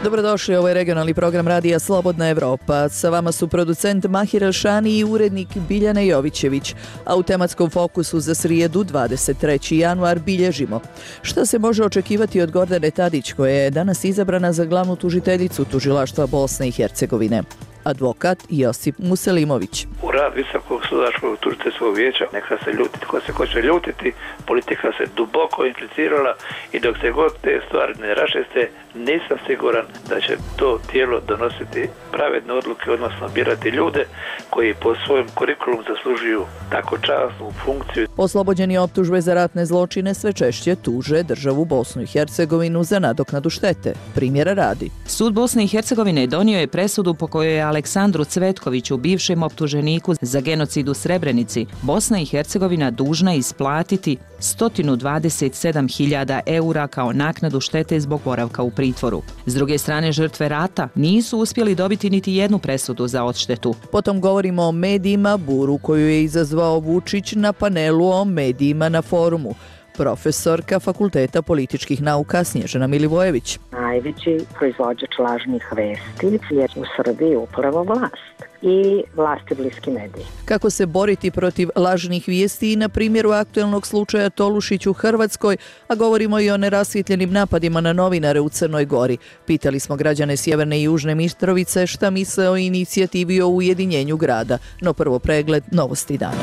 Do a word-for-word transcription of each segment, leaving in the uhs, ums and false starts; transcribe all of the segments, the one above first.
Dobrodošli, ovo je regionalni program radija Slobodna Evropa. Sa vama su producent Mahir Elšani i urednik Biljana Jovićević. A u tematskom fokusu za srijedu dvadeset treći januar bilježimo. Šta se može očekivati od Gordane Tadić, koja je danas izabrana za glavnu tužiteljicu tužilaštva Bosne i Hercegovine? Advokat Josip Muselimović. U rad Visokog sudačkog tužiteljskog vijeća neka se ljuti ko se hoće ljutiti, politika se duboko implicirala i dok se god te stvari ne raščiste, nisam siguran da će to tijelo donositi pravedne odluke, odnosno birati ljude koji po svojem kurikulum zaslužuju tako časnu funkciju. Oslobođeni optužbe za ratne zločine sve češće tuže državu Bosnu i Hercegovinu za nadoknadu štete. Primjera radi. Sud Bosne i Hercegovine donio je presudu po kojoj je Aleksandru Cvetkoviću, bivšem optuženiku za genocid u Srebrenici, Bosna i Hercegovina dužna isplatiti sto dvadeset sedam hiljada eura kao naknadu štete zbog boravka u pritvoru. S druge strane, žrtve rata nisu uspjeli dobiti niti jednu presudu za odštetu. Potom govorimo o medijima, buru koju je izazvao Vučić na panelu o medijima na forumu. Profesorka Fakulteta političkih nauka Snježana Milivojević. Najveći proizvođač lažnih vesti je u Srbiji upravo vlast i vlasti bliski mediji. Kako se boriti protiv lažnih vijesti i na primjeru aktuelnog slučaja Tolušić u Hrvatskoj, a govorimo i o nerasvjetljenim napadima na novinare u Crnoj Gori. Pitali smo građane Sjeverne i Južne Mitrovice šta misle o inicijativi o ujedinjenju grada. No prvo pregled novosti dana.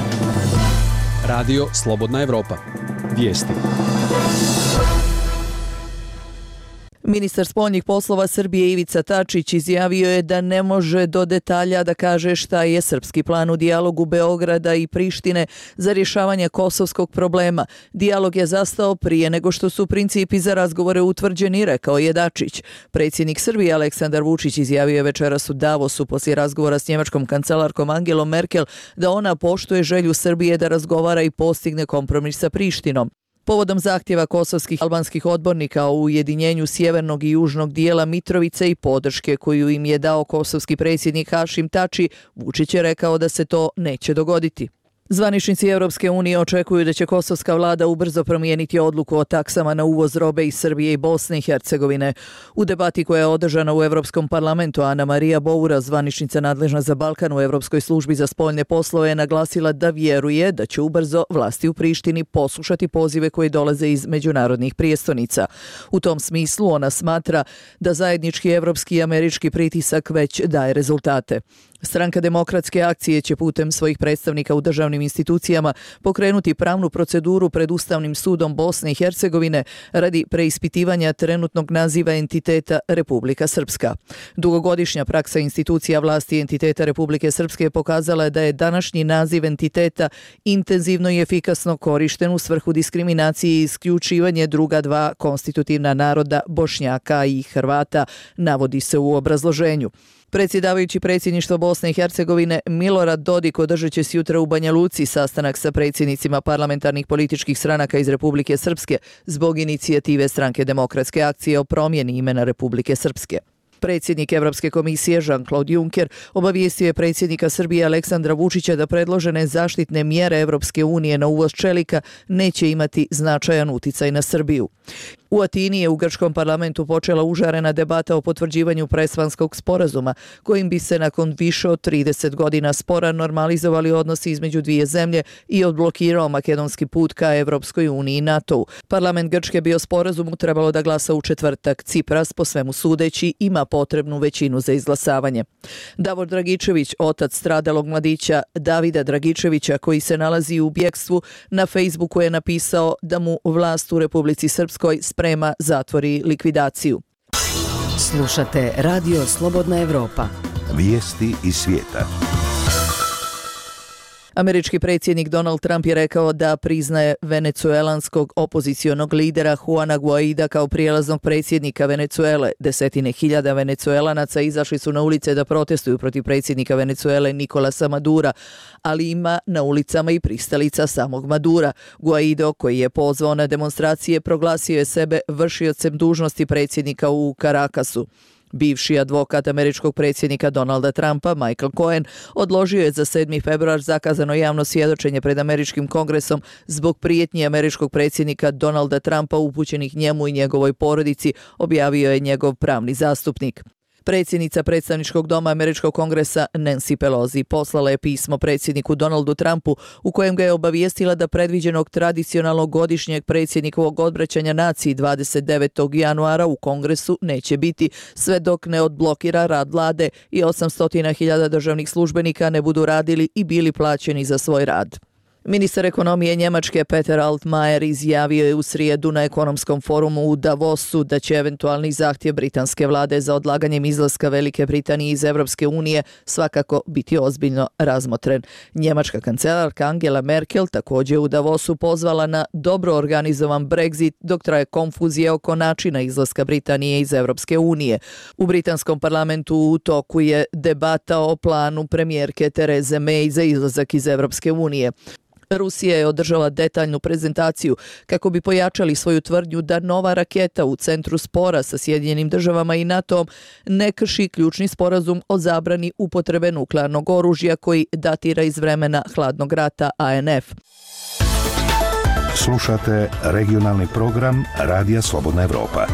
Radio Slobodna Evropa. Vijesti. Ministar spoljnih poslova Srbije Ivica Dačić izjavio je da ne može do detalja da kaže šta je srpski plan u dijalogu Beograda i Prištine za rješavanje kosovskog problema. Dijalog je zastao prije nego što su principi za razgovore utvrđeni, rekao je Dačić. Predsjednik Srbije Aleksandar Vučić izjavio je večeras u Davosu poslije razgovora s njemačkom kancelarkom Angelom Merkel da ona poštuje želju Srbije da razgovara i postigne kompromis sa Prištinom. Povodom zahtjeva kosovskih albanskih odbornika o ujedinjenju sjevernog i južnog dijela Mitrovice i podrške koju im je dao kosovski predsjednik Hašim Tači, Vučić je rekao da se to neće dogoditi. Zvaničnici Europske unije očekuju da će kosovska vlada ubrzo promijeniti odluku o taksama na uvoz robe iz Srbije i Bosne i Hercegovine. U debati koja je održana u Europskom parlamentu, Ana Marija Boura, zvaničnica nadležna za Balkan u Europskoj službi za spoljne poslove, je naglasila da vjeruje da će ubrzo vlasti u Prištini poslušati pozive koji dolaze iz međunarodnih prijestolnica. U tom smislu ona smatra da zajednički evropski i američki pritisak već daje rezultate. Stranka Demokratske akcije će putem svojih predstavnika u državnim institucijama pokrenuti pravnu proceduru pred Ustavnim sudom Bosne i Hercegovine radi preispitivanja trenutnog naziva entiteta Republika Srpska. Dugogodišnja praksa institucija vlasti entiteta Republike Srpske pokazala je da je današnji naziv entiteta intenzivno i efikasno korišten u svrhu diskriminacije i isključivanje druga dva konstitutivna naroda Bošnjaka i Hrvata, navodi se u obrazloženju. Predsjedavajući predsjedništvo Bosne i Hercegovine Milorad Dodik održat će sutra u Banja Luci sastanak sa predsjednicima parlamentarnih političkih stranaka iz Republike Srpske zbog inicijative Stranke Demokratske akcije o promjeni imena Republike Srpske. Predsjednik Evropske komisije Jean-Claude Juncker obavijestio je predsjednika Srbije Aleksandra Vučića da predložene zaštitne mjere Evropske unije na uvoz čelika neće imati značajan uticaj na Srbiju. U Atini je u grčkom parlamentu počela užarena debata o potvrđivanju Prespanskog sporazuma, kojim bi se nakon više od trideset godina spora normalizovali odnosi između dvije zemlje i odblokirao makedonski put ka Evropskoj uniji i NATO-u. Parlament Grčke bi o sporazumu trebalo da glasa u četvrtak. Cipras, po svemu sudeći, ima potrebnu većinu za izglasavanje. Davor Dragičević, otac stradalog mladića Davida Dragičevića, koji se nalazi u bjekstvu, na Facebooku je napisao da mu vlast u Republici Srpskoj sprema zatvor i likvidaciju. Slušate Radio Slobodna Evropa. Vijesti iz svijeta. Američki predsjednik Donald Trump je rekao da priznaje venecuelanskog opozicionog lidera Juana Guaida kao prijelaznog predsjednika Venecuele. Desetine hiljada Venecuelanaca izašli su na ulice da protestuju protiv predsjednika Venecuele Nicolasa Madura, ali ima na ulicama i pristalica samog Madura. Guaido, koji je pozvao na demonstracije, proglasio je sebe vršiocem dužnosti predsjednika u Caracasu. Bivši advokat američkog predsjednika Donalda Trumpa, Michael Cohen, odložio je za sedmi februar zakazano javno svjedočenje pred američkim kongresom zbog prijetnji američkog predsjednika Donalda Trumpa upućenih njemu i njegovoj porodici, objavio je njegov pravni zastupnik. Predsjednica predstavničkog doma američkog kongresa Nancy Pelosi poslala je pismo predsjedniku Donaldu Trumpu u kojem ga je obavijestila da predviđenog tradicionalnog godišnjeg predsjednikovog odbraćanja naciji dvadeset devetog januara u kongresu neće biti sve dok ne odblokira rad vlade i osamsto hiljada državnih službenika ne budu radili i bili plaćeni za svoj rad. Ministar ekonomije Njemačke Peter Altmaier izjavio je u srijedu na ekonomskom forumu u Davosu da će eventualni zahtjev britanske vlade za odlaganjem izlaska Velike Britanije iz Europske unije svakako biti ozbiljno razmotren. Njemačka kancelarka Angela Merkel također u Davosu pozvala na dobro organizovan Brexit dok traje konfuzija oko načina izlaska Britanije iz Europske unije. U britanskom parlamentu u toku je debata o planu premijerke Therese May za izlazak iz Europske unije. Rusija je održala detaljnu prezentaciju kako bi pojačali svoju tvrdnju da nova raketa u centru spora sa Sjedinjenim državama i NATO-om ne krši ključni sporazum o zabrani upotrebe nuklearnog oružja koji datira iz vremena hladnog rata A N F. Slušate regionalni program Radija Slobodna Evropa.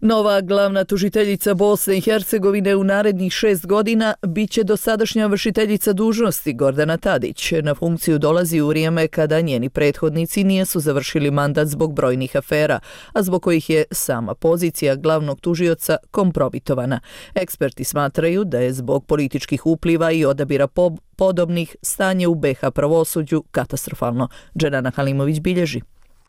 Nova glavna tužiteljica Bosne i Hercegovine u narednih šest godina bit će dosadašnja vršiteljica dužnosti Gordana Tadić. Na funkciju dolazi u vrijeme kada njeni prethodnici nisu završili mandat zbog brojnih afera, a zbog kojih je sama pozicija glavnog tužioca kompromitovana. Eksperti smatraju da je zbog političkih upliva i odabira po- podobnih stanje u B iH pravosuđu katastrofalno. Dženana Halimović bilježi.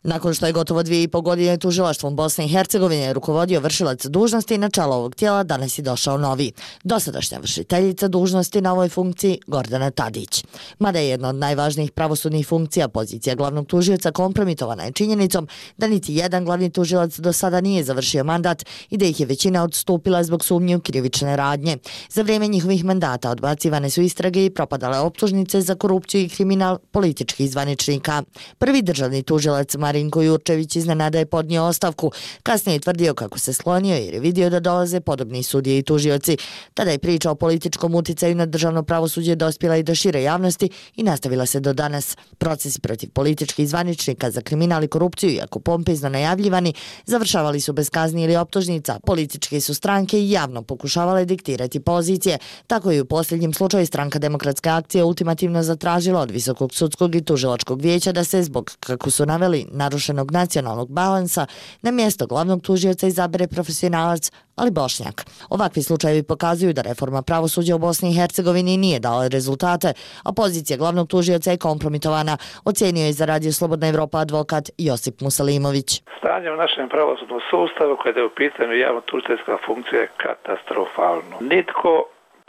Nakon što je gotovo dvije i pol godine tužilaštvom Bosne i Hercegovine rukovodio vršilac dužnosti, na čelo ovog tijela danas je došao novi, dosadašnja vršiteljica dužnosti na ovoj funkciji Gordana Tadić. Mada je jedna od najvažnijih pravosudnih funkcija, pozicija glavnog tužioca kompromitovana je činjenicom da niti jedan glavni tužilac do sada nije završio mandat i da ih je većina odstupila zbog sumnje u krivične radnje. Za vrijeme njihovih mandata odbacivane su istrage i propadale optužnice za korupciju i kriminal političkih zvaničnika. Prvi državni tužilac Marinko Jurčević iznenada je podnio ostavku. Kasnije je tvrdio kako se slonio jer je vidio da dolaze podobni sudije i tužioci. Tada je priča o političkom uticaju na državno pravosuđe dospjela i do šire javnosti i nastavila se do danas. Procesi protiv političkih zvaničnika za kriminal i korupciju, iako pompezno najavljivani, završavali su bez kazni ili optužnica. Političke su stranke i javno pokušavale diktirati pozicije. Tako je u posljednjem slučaju Stranka demokratske akcije ultimativno zatražila od Visokog sudskog i tužilačkog vijeća da se zbog, kako su naveli, narušenog nacionalnog balansa na mjesto glavnog tužioca izabere profesionalac, ali Bošnjak. Ovakvi slučajevi pokazuju da reforma pravosuđa u Bosni i Hercegovini nije dala rezultate, a pozicija glavnog tužioca je kompromitovana, ocjenio je za Radio Slobodna Evropa advokat Josip Musalimović. Stanje u našem pravosudnom sustavu kada je u pitanju javno-tužiteljska funkcija je katastrofalno. Nitko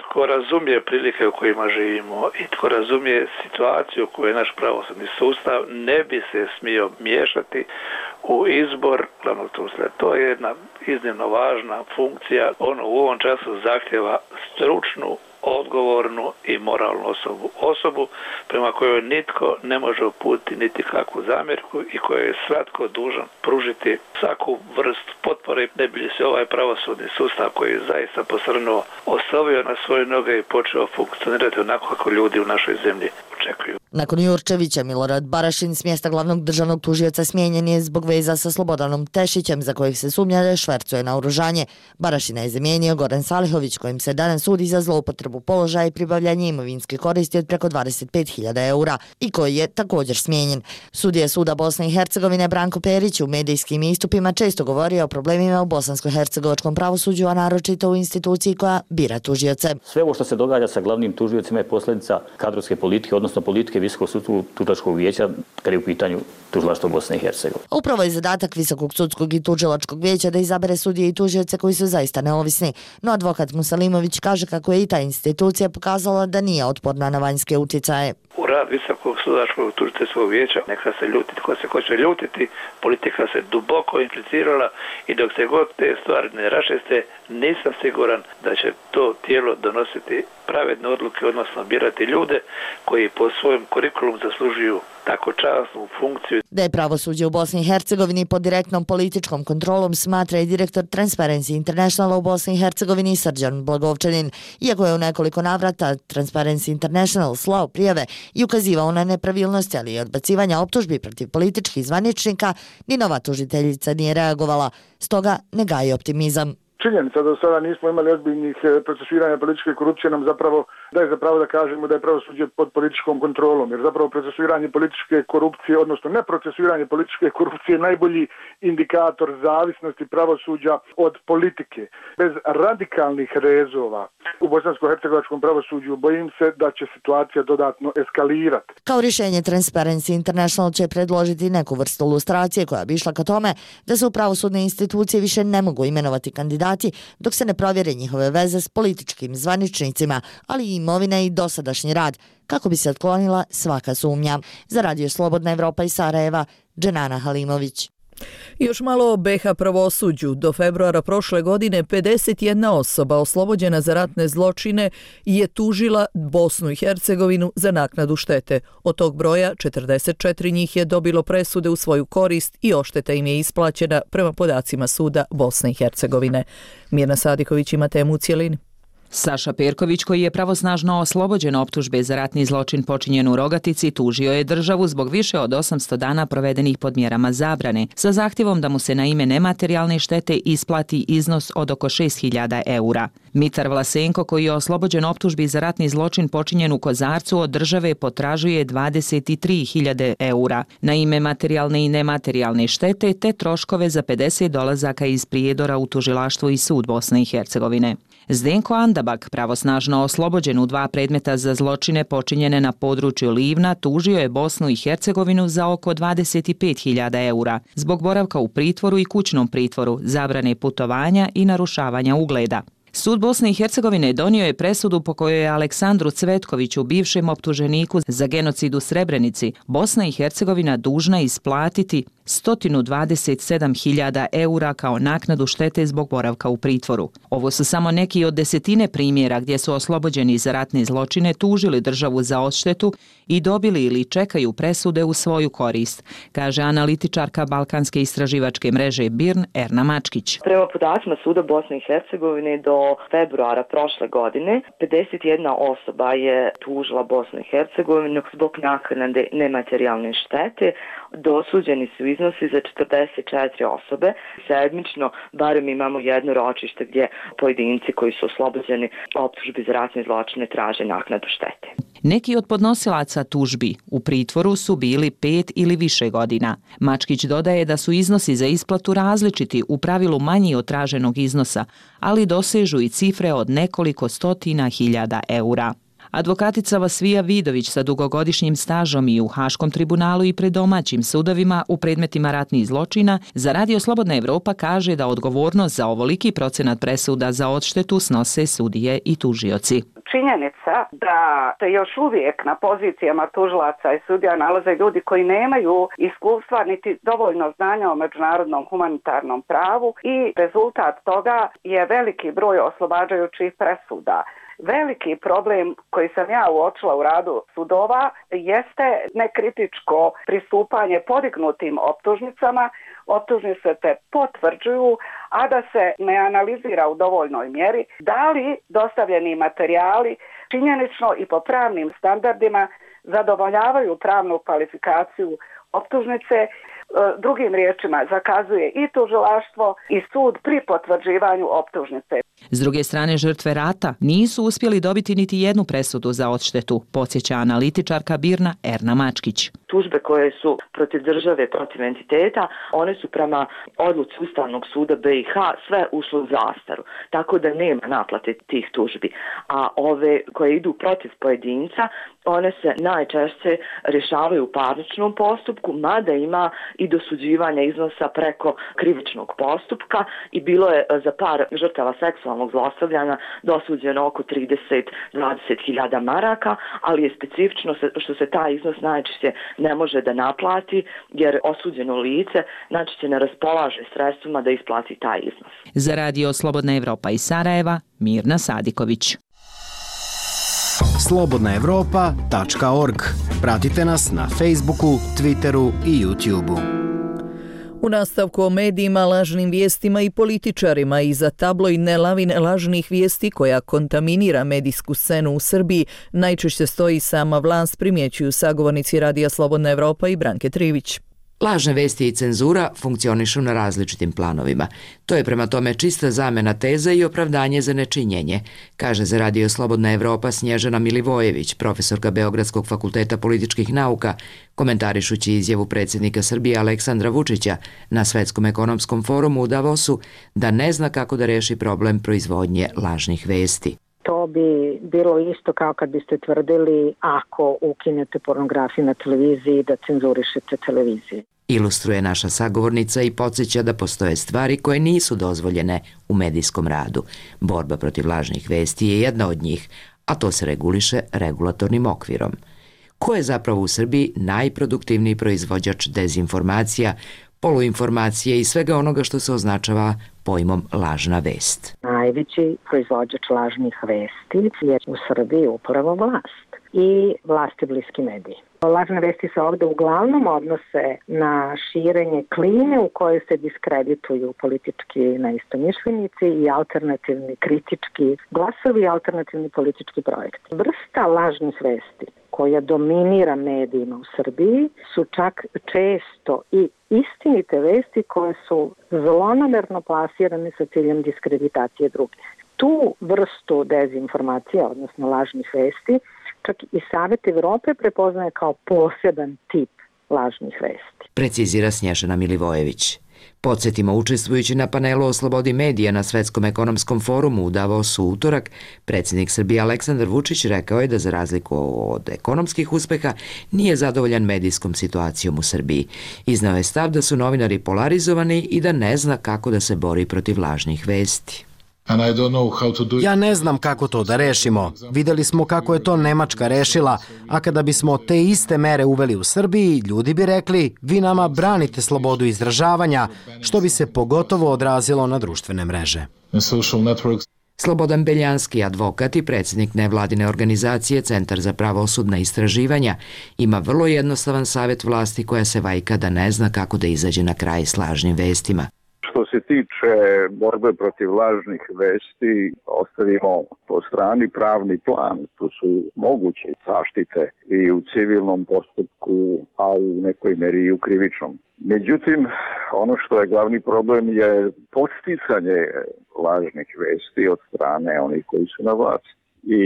tko razumije prilike u kojima živimo i tko razumije situaciju u kojoj je naš pravosudni sustav ne bi se smio miješati u izbor glavnog tužitelja. To je jedna iznimno važna funkcija. Ono u ovom času zahtjeva stručnu, odgovornu i moralnu osobu. Osobu prema kojoj nitko ne može uputiti niti kakvu zamjerku i kojoj je svatko dužan pružiti svaku vrstu potpore, ne bi li se ovaj pravosudni sustav koji je zaista posrnuo ostavio na svoje noge i počeo funkcionirati onako kako ljudi u našoj zemlji očekuju. Nakon Jurčevića, Milorad Barašin s mjesta glavnog državnog tužioca smijenjen je zbog veza sa Slobodanom Tešićem, za kojih se sumnja da švercuje naoružanje. Barašina je zamijenio Goran Salihović, kojim se danas sudi za zloupotrebu položaja i pribavljanje imovinske koristi od preko dvadeset pet hiljada eura i koji je također smijenjen. Sudija suda Bosne i Hercegovine Branko Perić u medijskim istupima često govorio o problemima u bosansko-hercegovačkom pravosuđu, a naročito u instituciji koja bira tužioce. Sve ovo što se događa sa glavnim tužiocima je posljedica kadrovske politike, odnosno politike Visokog sudskog tužilačkog vijeća kada je u pitanju tužilaštvo Bosne i Hercegovine. Upravo je zadatak Visokog sudskog i tužilačkog vijeća da izabere sudije i tužioce koji su zaista neovisni. No advokat Musalimović kaže kako je i ta institucija pokazala da nije otporna na vanjske utjecaje. U rad Visokog sudačkog tužiteljskog vijeća neka se ljuti tko se hoće ljutiti, politika se duboko implicirala i dok se god te stvari ne raščiste, nisam siguran da će to tijelo donositi pravedne odluke, odnosno birati ljude koji po svojim kurikulum zaslužuju tako časnu funkciju. Da je pravosuđe u Bosni i Hercegovini pod direktnom političkom kontrolom smatra i direktor Transparency Internationala u Bosni i Hercegovini Srđan Blagovčanin. Iako je u nekoliko navrata Transparency International slao prijave i ukazivao na nepravilnosti, ali i odbacivanja optužbi protiv političkih zvaničnika, ni nova tužiteljica nije reagovala, stoga ne gaji optimizam. Činjenica da do sada nismo imali ozbiljnih procesuiranja političke korupcije nam zapravo daje zapravo da kažemo da je pravosuđe pod političkom kontrolom, jer zapravo procesuiranje političke korupcije, odnosno neprocesuiranje političke korupcije je najbolji indikator zavisnosti pravosuđa od politike. Bez radikalnih rezova u bosansko-hercegovačkom pravosuđu bojim se da će situacija dodatno eskalirati. Kao rješenje Transparency International će predložiti neku vrstu lustracije koja bi išla ka tome da se u pravosudne institucije više ne mogu imenovati kandidati dok se ne provjere njihove veze s političkim zvaničnicima, ali i imovina i dosadašnji rad, kako bi se otklonila svaka sumnja. Za Radio Slobodna Evropa iz Sarajeva, Dženana Halimović. Još malo o B iH pravosuđu. Do februara prošle godine pedeset jedna osoba oslobođena za ratne zločine je tužila Bosnu i Hercegovinu za naknadu štete. Od tog broja četrdeset četiri njih je dobilo presude u svoju korist i odšteta im je isplaćena prema podacima suda Bosne i Hercegovine. Mirna Sadiković ima temu u cijelini. Saša Perković, koji je pravosnažno oslobođen optužbe za ratni zločin počinjen u Rogatici, tužio je državu zbog više od osamsto dana provedenih pod mjerama zabrane, sa zahtjevom da mu se na ime nematerijalne štete isplati iznos od oko šest hiljada eura. Mitar Vlasenko, koji je oslobođen optužbi za ratni zločin počinjen u Kozarcu, od države potražuje dvadeset tri hiljade eura na ime materijalne i nematerijalne štete te troškove za pedeset dolazaka iz Prijedora u tužilaštvo i sud Bosne i Hercegovine. Zdenko Andabak, pravosnažno oslobođen u dva predmeta za zločine počinjene na području Livna, tužio je Bosnu i Hercegovinu za oko dvadeset pet hiljada eura zbog boravka u pritvoru i kućnom pritvoru, zabrane putovanja i narušavanja ugleda. Sud Bosne i Hercegovine donio je presudu po kojoj je Aleksandru Cvetkoviću, bivšem optuženiku za genocid u Srebrenici, Bosna i Hercegovina dužna isplatiti sto dvadeset sedam hiljada eura kao naknadu štete zbog boravka u pritvoru. Ovo su samo neki od desetine primjera gdje su oslobođeni za ratne zločine tužili državu za odštetu i dobili ili čekaju presude u svoju korist, kaže analitičarka Balkanske istraživačke mreže B I R N Erna Mačkić. Prema podacima suda Bosne i Hercegovine do februara prošle godine pedeset jedna osoba je tužila Bosnu i Hercegovinu zbog naknade nematerijalne štete. Dosuđeni su iznosi za četrdeset četiri osobe. Sedmično barem imamo jedno ročište gdje pojedinci koji su oslobođeni optužbi za ratne zločine traže naknadu štete. Neki od podnosilaca tužbi u pritvoru su bili pet ili više godina. Mačkić dodaje da su iznosi za isplatu različiti, u pravilu manji od traženog iznosa, ali dosežu i cifre od nekoliko stotina hiljada eura. Advokatica Vasvija Vidović sa dugogodišnjim stažom i u Haškom tribunalu i pred domaćim sudovima u predmetima ratnih zločina za Radio Slobodna Evropa kaže da odgovornost za ovoliki procenat presuda za odštetu snose sudije i tužioci. Činjenica da se još uvijek na pozicijama tužilaca i sudija nalaze ljudi koji nemaju iskustva niti dovoljno znanja o međunarodnom humanitarnom pravu i rezultat toga je veliki broj oslobađajućih presuda. Veliki problem koji sam ja uočila u radu sudova jeste nekritičko pristupanje podignutim optužnicama. Optužnice se potvrđuju, a da se ne analizira u dovoljnoj mjeri da li dostavljeni materijali činjenično i po pravnim standardima zadovoljavaju pravnu kvalifikaciju optužnice. Drugim riječima, zakazuje i tužilaštvo i sud pri potvrđivanju optužnice. S druge strane, žrtve rata nisu uspjeli dobiti niti jednu presudu za odštetu, podsjeća analitičarka B I R N-a Erna Mačkić. Tužbe koje su protiv države, protiv entiteta, one su prema odluci Ustavnog suda B i H sve ušle u zastaru, tako da nema naplate tih tužbi. A ove koje idu protiv pojedinca, one se najčešće rješavaju u parničnom postupku, mada ima i dosuđivanja iznosa preko krivičnog postupka i bilo je za par žrtava seksualnog zlostavljanja dosuđeno oko trideset do dvadeset hiljada maraka, ali je specifično što se taj iznos najčešće ne može da naplati jer osuđeno lice najčešće ne raspolaže sredstvima da isplati taj iznos. Za Radio Slobodna Evropa iz Sarajeva, Mirna Sadiković. slobodna evropa tačka org Pratite nas na Facebooku, Twitteru i YouTubeu. U nastavku o medijima, lažnim vijestima i političarima iza tabloidne lavine lažnih vijesti koja kontaminira medijsku scenu u Srbiji najčešće stoji sama vlast, primjećuju sagovornici Radija Slobodna Evropa i Branke Trivić. Lažne vesti i cenzura funkcionišu na različitim planovima. To je prema tome čista zamena teza i opravdanje za nečinjenje, kaže za Radio Slobodna Evropa Snježana Milivojević, profesorka Beogradskog fakulteta političkih nauka, komentarišući izjavu predsjednika Srbije Aleksandra Vučića na Svetskom ekonomskom forumu u Davosu da ne zna kako da reši problem proizvodnje lažnih vesti. To bi bilo isto kao kad biste tvrdili ako ukinete pornografiju na televiziji da cenzurišete televiziju. Ilustruje naša sagovornica i podsjeća da postoje stvari koje nisu dozvoljene u medijskom radu. Borba protiv lažnih vesti je jedna od njih, a to se reguliše regulatornim okvirom. Ko je zapravo u Srbiji najproduktivniji proizvođač dezinformacija, poluinformacije i svega onoga što se označava pojmom lažna vest? Najveći proizvođač lažnih vesti je u Srbiji upravo vlast i vlasti bliski mediji. Lažne vesti se ovdje uglavnom odnose na širenje klime u kojoj se diskredituju politički neistomišljenici i alternativni kritički glasovi i alternativni politički projekti. Vrsta lažnih vesti koja dominira medijima u Srbiji su čak često i istinite vesti koje su zlonamerno plasirane sa ciljem diskreditacije drugih. Tu vrstu dezinformacija, odnosno lažnih vesti, čak i Savet Evrope prepoznaje kao poseban tip lažnih vesti. Precizira Snježana Milivojević. Podsjetimo, učestvujući na panelu o slobodi medija na Svetskom ekonomskom forumu u Davosu u utorak, predsjednik Srbije Aleksandar Vučić rekao je da za razliku od ekonomskih uspeha nije zadovoljan medijskom situacijom u Srbiji. Iznao je stav da su novinari polarizovani i da ne zna kako da se bori protiv lažnih vesti. Ja ne znam kako to da rešimo. Videli smo kako je to Nemačka rešila, a kada bismo te iste mere uveli u Srbiji, ljudi bi rekli, vi nama branite slobodu izražavanja, što bi se pogotovo odrazilo na društvene mreže. Slobodan Beljanski, advokat i predsjednik nevladine organizacije Centar za pravosudna istraživanja, ima vrlo jednostavan savjet vlasti koja se vajka da ne zna kako da izađe na kraj s lažnim vestima. Što se tiče borbe protiv lažnih vesti, ostavimo po strani pravni plan. Tu su moguće zaštite i u civilnom postupku, a u nekoj meri i u krivičnom. Međutim, ono što je glavni problem je podsticanje lažnih vesti od strane onih koji su na vlasti. I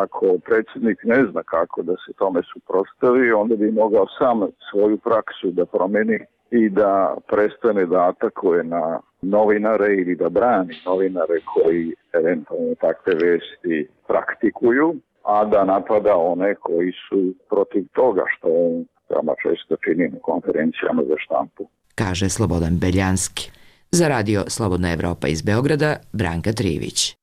ako predsjednik ne zna kako da se tome suprotstavi, onda bi mogao sam svoju praksu da promeni i da prestane da atakuje na novinare ili da brani novinare koji eventualno takve vesti praktikuju, a da napada one koji su protiv toga što on veoma često čini na konferencijama za štampu. Kaže Slobodan Beljanski. Za Radio Slobodna Evropa iz Beograda, Branka Trivić.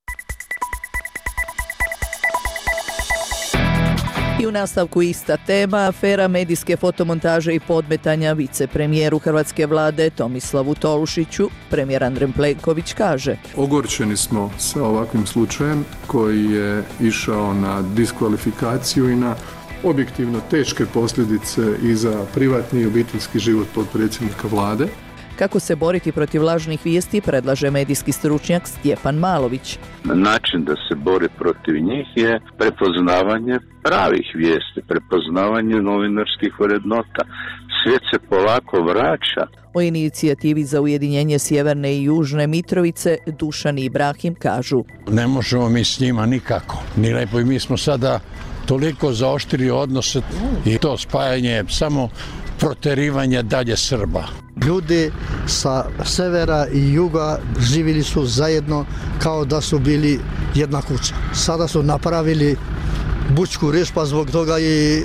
I u nastavku ista tema, afera medijske fotomontaže i podmetanja vicepremijeru Hrvatske vlade Tomislavu Tolušiću. Premijer Andrej Plenković kaže: Ogorčeni smo sa ovakvim slučajem koji je išao na diskvalifikaciju i na objektivno teške posljedice i za privatni i obiteljski život potpredsjednika vlade. Kako se boriti protiv lažnih vijesti, predlaže medijski stručnjak Stjepan Malović. Način da se bori protiv njih je prepoznavanje pravih vijesti, prepoznavanje novinarskih vrednota. Svijet se polako vraća. O inicijativi za ujedinjenje Sjeverne i Južne Mitrovice Dušan i Ibrahim kažu: Ne možemo mi s njima nikako. Ni lepo, i mi smo sada toliko zaoštrili odnose i to spajanje samo proterivanje dalje Srba. Ljudi sa severa i juga živjeli su zajedno kao da su bili jedna kuća. Sada su napravili bučku riječ, pa zbog toga i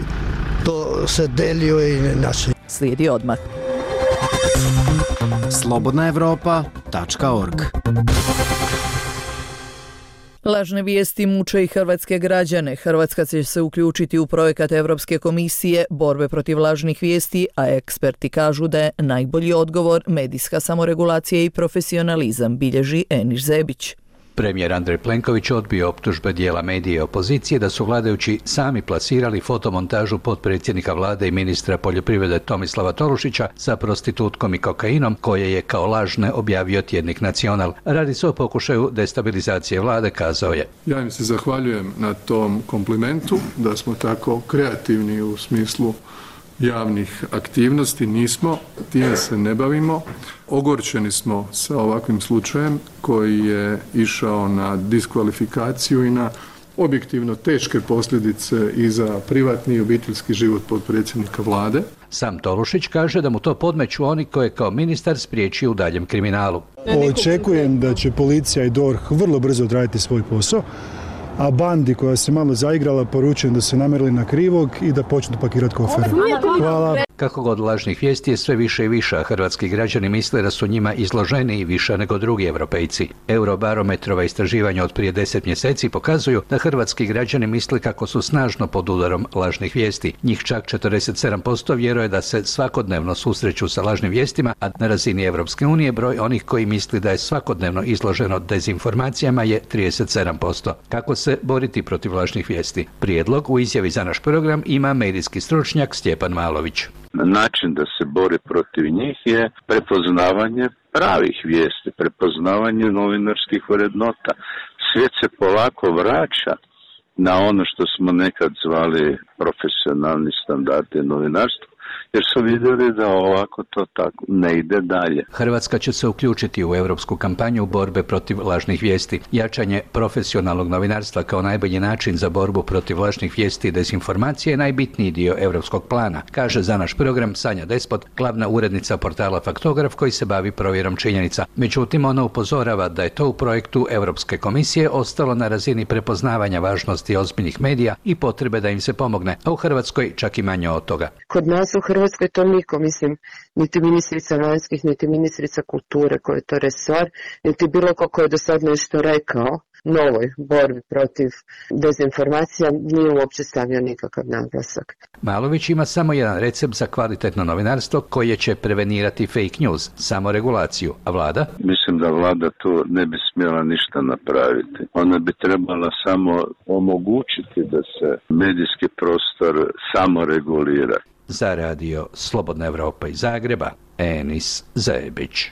to se delio i naši. Slijedi odmah. slobodna evropa tačka org. Lažne vijesti muče i hrvatske građane. Hrvatska će se uključiti u projekat Evropske komisije borbe protiv lažnih vijesti, a eksperti kažu da je najbolji odgovor medijska samoregulacija i profesionalizam, bilježi Eniš Zebić. Premijer Andrej Plenković odbio optužbe dijela medije i opozicije da su vladajući sami plasirali fotomontažu potpredsjednika vlade i ministra poljoprivrede Tomislava Tolušića sa prostitutkom i kokainom, koje je kao lažne objavio tjednik Nacional. Radi se o pokušaju destabilizacije vlade, kazao je. Ja im se zahvaljujem na tom komplimentu, da smo tako kreativni u smislu javnih aktivnosti. Nismo, time se ne bavimo. Ogorčeni smo sa ovakvim slučajem koji je išao na diskvalifikaciju i na objektivno teške posljedice i za privatni i obiteljski život potpredsjednika vlade. Sam Tolušić kaže da mu to podmeću oni koje kao ministar spriječio u daljem kriminalu. Očekujem da će policija i D O R H vrlo brzo odraditi svoj posao, a bandi koja se malo zaigrala poručujem da se namjerili na krivog i da počnu pakirati kofere. Hvala. Kako god lažnih vijesti je sve više i više, a hrvatski građani misle da su njima izloženi i više nego drugi Europejci. Eurobarometrova istraživanja od prije deset mjeseci pokazuju da hrvatski građani misle kako su snažno pod udarom lažnih vijesti. Njih čak četrdeset sedam posto vjeruje da se svakodnevno susreću sa lažnim vijestima, a na razini Europske unije broj onih koji misli da je svakodnevno izloženo dezinformacijama je trideset sedam posto. Kako se boriti protiv lažnih vijesti? Prijedlog u izjavi za naš program ima medijski stručnjak Stjepan Malović. Način da se bori protiv njih je prepoznavanje pravih vijesti, prepoznavanje novinarskih vrednota. Svijet se polako vraća na ono što smo nekad zvali profesionalni standardi novinarstva, jer su vidjeli da ovako to tako ne ide dalje. Hrvatska će se uključiti u europsku kampanju borbe protiv lažnih vijesti. Jačanje profesionalnog novinarstva kao najbolji način za borbu protiv lažnih vijesti i dezinformacije je najbitniji dio europskog plana, kaže za naš program Sanja Despot, glavna urednica portala Faktograf koji se bavi provjerom činjenica. Međutim, ona upozorava da je to u projektu Europske komisije ostalo na razini prepoznavanja važnosti ozbiljnih medija i potrebe da im se pomogne, a u Hrvatskoj čak i manje od toga. Kod nas u Hrvatskoj to niko, mislim, niti ministrica vanjskih, niti ministrica kulture koja je to resor, niti bilo ko ko je do sad nešto rekao novoj borbi protiv dezinformacija nije uopće stavio nikakav naglasak. Malović ima samo jedan recept za kvalitetno novinarstvo koje će prevenirati fake news, samo regulaciju, a vlada? Mislim da vlada tu ne bi smjela ništa napraviti. Ona bi trebala samo omogućiti da se medijski prostor samo regulira. Za radio Slobodna Evropa iz Zagreba, Enis Zebić.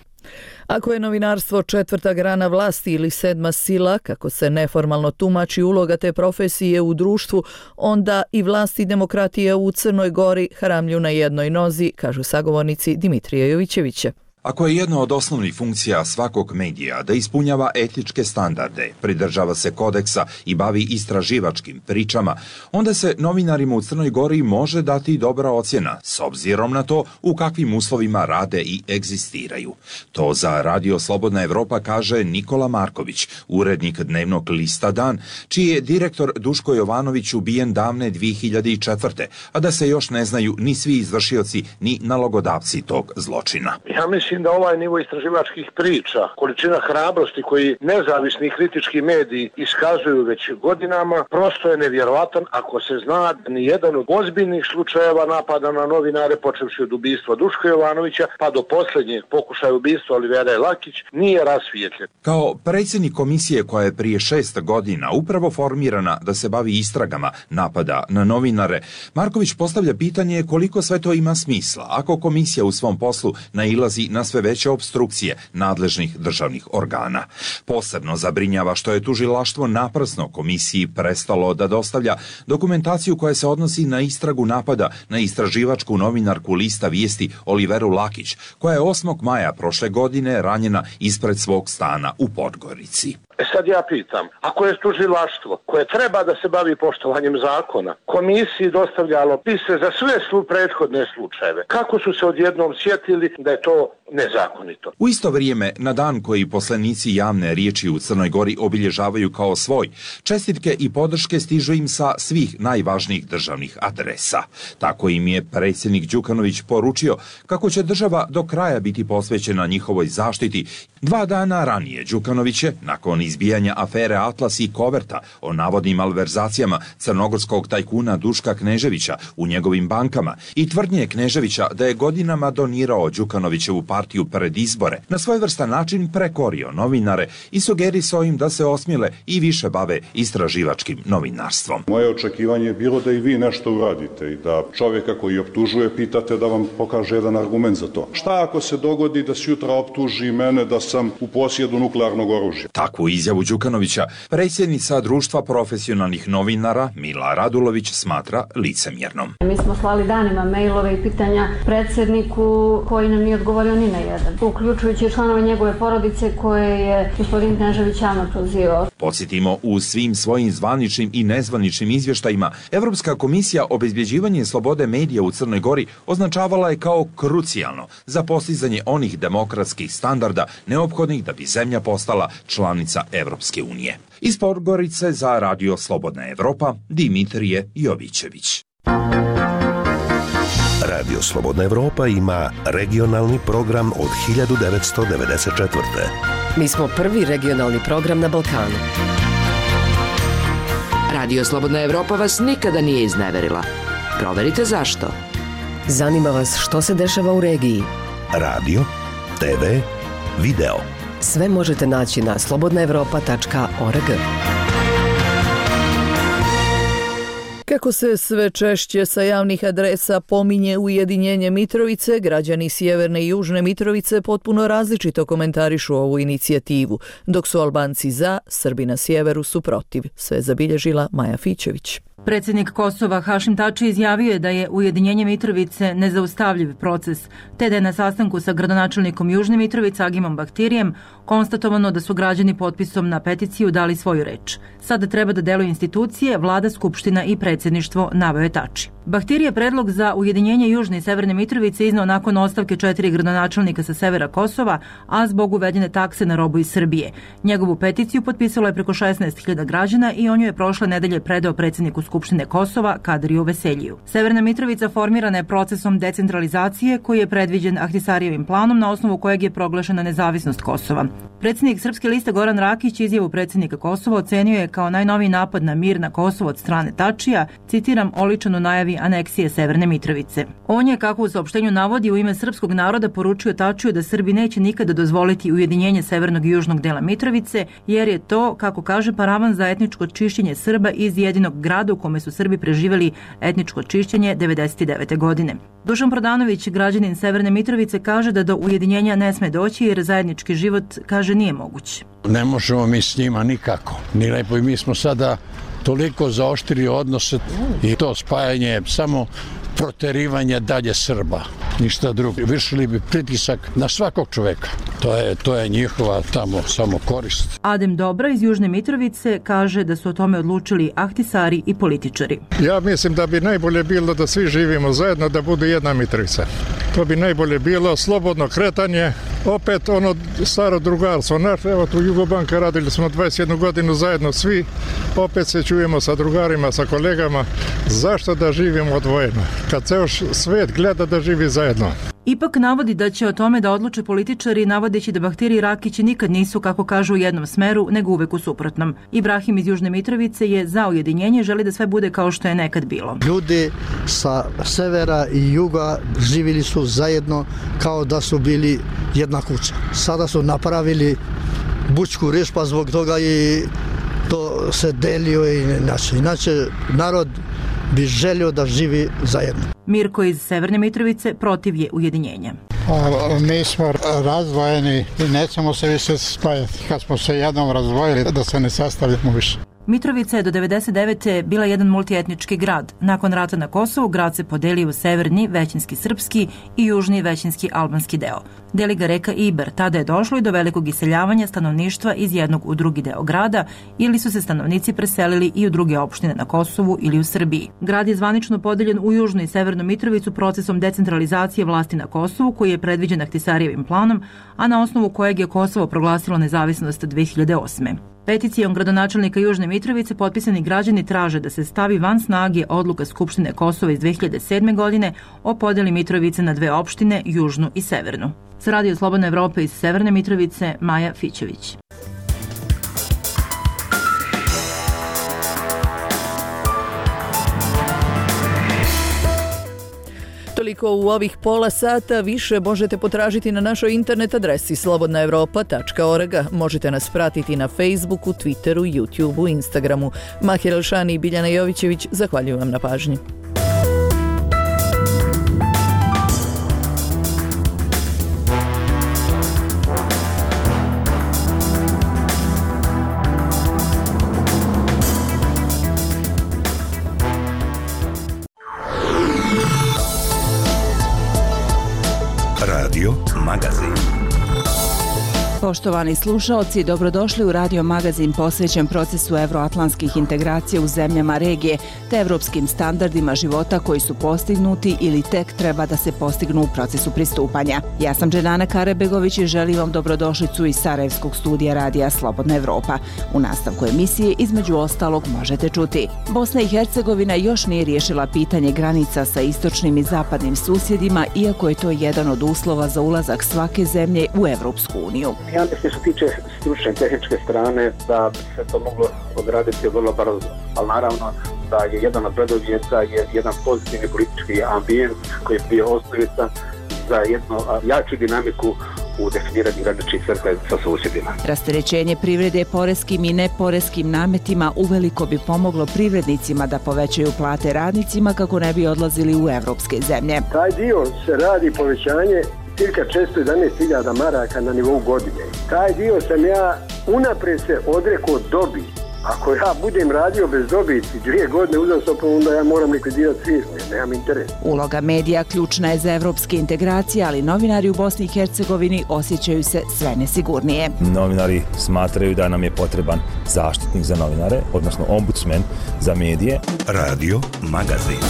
Ako je novinarstvo četvrta grana vlasti ili sedma sila, kako se neformalno tumači uloga te profesije u društvu, onda i vlast i demokratija u Crnoj Gori hramlju na jednoj nozi, kažu sagovornici Dimitrija Jovićevića. Ako je jedna od osnovnih funkcija svakog medija da ispunjava etičke standarde, pridržava se kodeksa i bavi istraživačkim pričama, onda se novinarima u Crnoj Gori može dati dobra ocjena s obzirom na to u kakvim uslovima rade i egzistiraju. To za Radio Slobodna Evropa kaže Nikola Marković, urednik dnevnog lista Dan, čiji je direktor Duško Jovanović ubijen davne dvije hiljade četvrte. a da se još ne znaju ni svi izvršioci ni nalogodavci tog zločina. Ja mislim da ovaj nivo istraživačkih priča, količina hrabrosti koji nezavisni kritički mediji iskazuju već godinama, prosto je nevjerovatan ako se zna da ni jedan od ozbiljnih slučajeva napada na novinare, počevši od ubistva Duška Jovanovića pa do posljednjeg pokušaja ubistva Olivera Lakić, nije rasvijetljen. Kao predsjednik komisije koja je prije šest godina upravo formirana da se bavi istragama napada na novinare, Marković postavlja pitanje koliko sve to ima smisla ako komisija u svom poslu nailazi na sve veće opstrukcije nadležnih državnih organa. Posebno zabrinjava što je tužilaštvo naprasno komisiji prestalo da dostavlja dokumentaciju koja se odnosi na istragu napada na istraživačku novinarku lista Vijesti Oliveru Lakić, koja je osmog maja prošle godine ranjena ispred svog stana u Podgorici. E sad ja pitam, ako je tužilaštvo koje treba da se bavi poštovanjem zakona, komisiji dostavljalo pise za sve slu prethodne slučajeve, kako su se odjednom sjetili da je to nezakonito? U isto vrijeme, na dan koji poslanici javne riječi u Crnoj Gori obilježavaju kao svoj, čestitke i podrške stižu im sa svih najvažnijih državnih adresa. Tako im je predsjednik Đukanović poručio kako će država do kraja biti posvećena njihovoj zaštiti. Dva dana ranije Đukanović je, nakon izbijanja afere Atlas i Koverta o navodnim malverzacijama crnogorskog tajkuna Duška Kneževića u njegovim bankama i tvrdnje Kneževića da je godinama donirao Đukanovićevu partiju pred izbore, na svojevrstan način prekorio novinare i sugerisao im da se osmile i više bave istraživačkim novinarstvom. Moje očekivanje je bilo da i vi nešto uradite i da čovjeka koji optužuje pitate da vam pokaže jedan argument za to. Šta ako se dogodi da se jutra optuži mene da sam u posjedu nuklearnog oružja? Takvu izjavu Đukanovića predsjednica Društva profesionalnih novinara Mila Radulović smatra licemjernom. Mi smo slali danima mailove i pitanja predsjedniku koji nam nije odgovorio ni na jedan, uključujući članove njegove porodice koje je gospodin Knežević javno prozivao. Podsjetimo, u svim svojim zvaničnim i nezvaničnim izvještajima Evropska komisija obezbjeđivanje slobode medija u Crnoj Gori označavala je kao krucijalno za postizanje onih demokratskih standarda neophodnih da bi zemlja postala članica Evropske unije. Iz Podgorice za Radio Slobodna Evropa, Dimitrije Jovićević. Radio Slobodna Evropa ima regionalni program od hiljadu devetsto devedeset četvrte. Mi smo prvi regionalni program na Balkanu. Radio Slobodna Evropa vas nikada nije izneverila. Proverite zašto. Zanima vas što se dešava u regiji. Radio, te ve, video. Sve možete naći na slobodna evropa tačka org. Kako se sve češće sa javnih adresa pominje ujedinjenje Mitrovice, građani Sjeverne i Južne Mitrovice potpuno različito komentarišu ovu inicijativu, dok su Albanci za, Srbi na sjeveru su protiv. Sve zabilježila Maja Fićević. Predsjednik Kosova Hašim Tači izjavio je da je ujedinjenje Mitrovice nezaustavljiv proces, te da je na sastanku sa gradonačelnikom Južne Mitrovice Agimom Bahtirijem konstatovano da su građani potpisom na peticiju dali svoju reč. Sada treba da deluju institucije, vlada, skupština i predsjedništvo, naveo je Tači. Bahtir je predlog za ujedinjenje Južne i Severne Mitrovice iznao nakon ostavke četiri gradonačelnika sa severa Kosova, a zbog uvedene takse na robu iz Srbije. Njegovu peticiju potpisalo je preko šesnaest hiljada građana i on ju je prošle nedelje predao predsjedniku Skupštine Kosova Kadriju Veseljiju. Severna Mitrovica formirana je procesom decentralizacije koji je predviđen Ahtisarijevim planom na osnovu kojeg je proglašena nezavisnost Kosova. Predsjednik Srpske liste Goran Rakić izjavu predsjednika Kosova ocenio je kao najnoviji napad na mir na Kosovo od strane Tačija, citiram, oličan u najavi aneksije Severne Mitrovice. On je, kako u saopštenju navodi, u ime srpskog naroda poručio Tačiju da Srbi neće nikada dozvoliti ujedinjenje severnog i južnog dela Mitrovice, jer je to, kako kaže, paravan za etničko čišćenje Srba iz jedinog grada u kome su Srbi preživjeli etničko čišćenje devedeset devete. godine. Dušan Prodanović, građanin Severne Mitrovice, kaže da do ujedinjenja ne sme doći jer zajednički život, kaže, nije moguć. Ne možemo mi s njima nikako. Ni lepo i mi smo sada toliko zaoštrili odnose i to spajanje samo proterivanje dalje Srba, ništa drugo. Vršili bi pritisak na svakog čoveka. To je, to je njihova tamo samo korist. Adem Dobra iz Južne Mitrovice kaže da su o tome odlučili ahtisari i političari. Ja mislim da bi najbolje bilo da svi živimo zajedno, da bude jedna Mitrovica. To bi najbolje bilo, slobodno kretanje, opet ono staro drugarstvo. Naš, evo tu Jugobanka radili smo dvadeset jednu godinu zajedno svi, opet se čujemo sa drugarima, sa kolegama. Zašto da živimo odvojeno? Kad ceo svet gleda da živi zajedno. Ipak navodi da će o tome da odluče političari, navodeći da Bahtiri i Rakić nikad nisu, kako kažu, u jednom smeru, nego uvek u suprotnom. Ibrahim iz Južne Mitrovice je za ujedinjenje, želi da sve bude kao što je nekad bilo. Ljudi sa severa i juga živjeli su zajedno kao da su bili jedna kuća. Sada su napravili bučku riječ, pa zbog toga i to se delio i inače. Inače, narod bi želio da živi zajedno. Mirko iz Severne Mitrovice protiv je ujedinjenja. Mi smo razdvojeni i nećemo se više spajati. Kad smo se jednom razdvojili, da se ne sastavljamo više. Mitrovica je do devedeset devete bila jedan multietnički grad. Nakon rata na Kosovu, grad se podelio u severni, većinski srpski i južni, većinski albanski deo. Deli ga reka Iber. Tada je došlo i do velikog iseljavanja stanovništva iz jednog u drugi deo grada ili su se stanovnici preselili i u druge opštine na Kosovu ili u Srbiji. Grad je zvanično podeljen u južnu i severnu Mitrovicu procesom decentralizacije vlasti na Kosovu koji je predviđen Ahtisarijevim planom, a na osnovu kojeg je Kosovo proglasilo nezavisnost dve hiljade osme. Peticijom gradonačelnika Južne Mitrovice potpisani građani traže da se stavi van snage odluka Skupštine Kosova iz dve hiljade sedme. godine o podeli Mitrovice na dve opštine, južnu i severnu. Sa Radio Slobodna Evropa iz Severne Mitrovice, Maja Fićević. Toliko u ovih pola sata, više možete potražiti na našoj internet adresi slobodna evropa tačka org. Možete nas pratiti na Facebooku, Twitteru, YouTubeu, Instagramu. Mahir Elšani i Biljana Jovićević, zahvaljujem vam na pažnji. Radio Magazin. Poštovani slušaoci, dobrodošli u radio magazin posvećen procesu evroatlantskih integracija u zemljama regije te evropskim standardima života koji su postignuti ili tek treba da se postignu u procesu pristupanja. Ja sam Dženana Karabegović i želim vam dobrodošlicu iz Sarajevskog studija radija Slobodna Evropa. U nastavku emisije između ostalog možete čuti: Bosna i Hercegovina još nije riješila pitanje granica sa istočnim i zapadnim susjedima, iako je to jedan od uslova za ulazak svake zemlje u Evropsku uniju. Ja mislim što se tiče stručne i tehničke strane da bi se to moglo odraditi vrlo brzo, ali naravno da je jedan od preduvjeta je jedan pozitivni politički ambijent koji je bio osnovica za jednu jaču dinamiku u definiranju graničnih crta sa susjedima. Rasterećenje privrede poreskim i neporeskim nametima uveliko bi pomoglo privrednicima da povećaju plate radnicima kako ne bi odlazili u evropske zemlje. Taj dio se radi povećanje cirka četiristo jedanaest hiljada maraka na nivou godine. Taj dio sam ja unaprijed se odrekao dobiti. Ako ja budem radio bez dobiti dvije godine uzastopno, onda ja moram likvidirati firmu, jer nemam interes. Uloga medija ključna je za evropske integracije, ali novinari u Bosni i Hercegovini osjećaju se sve nesigurnije. Novinari smatraju da nam je potreban zaštitnik za novinare, odnosno ombudsman za medije. Radio Magazin.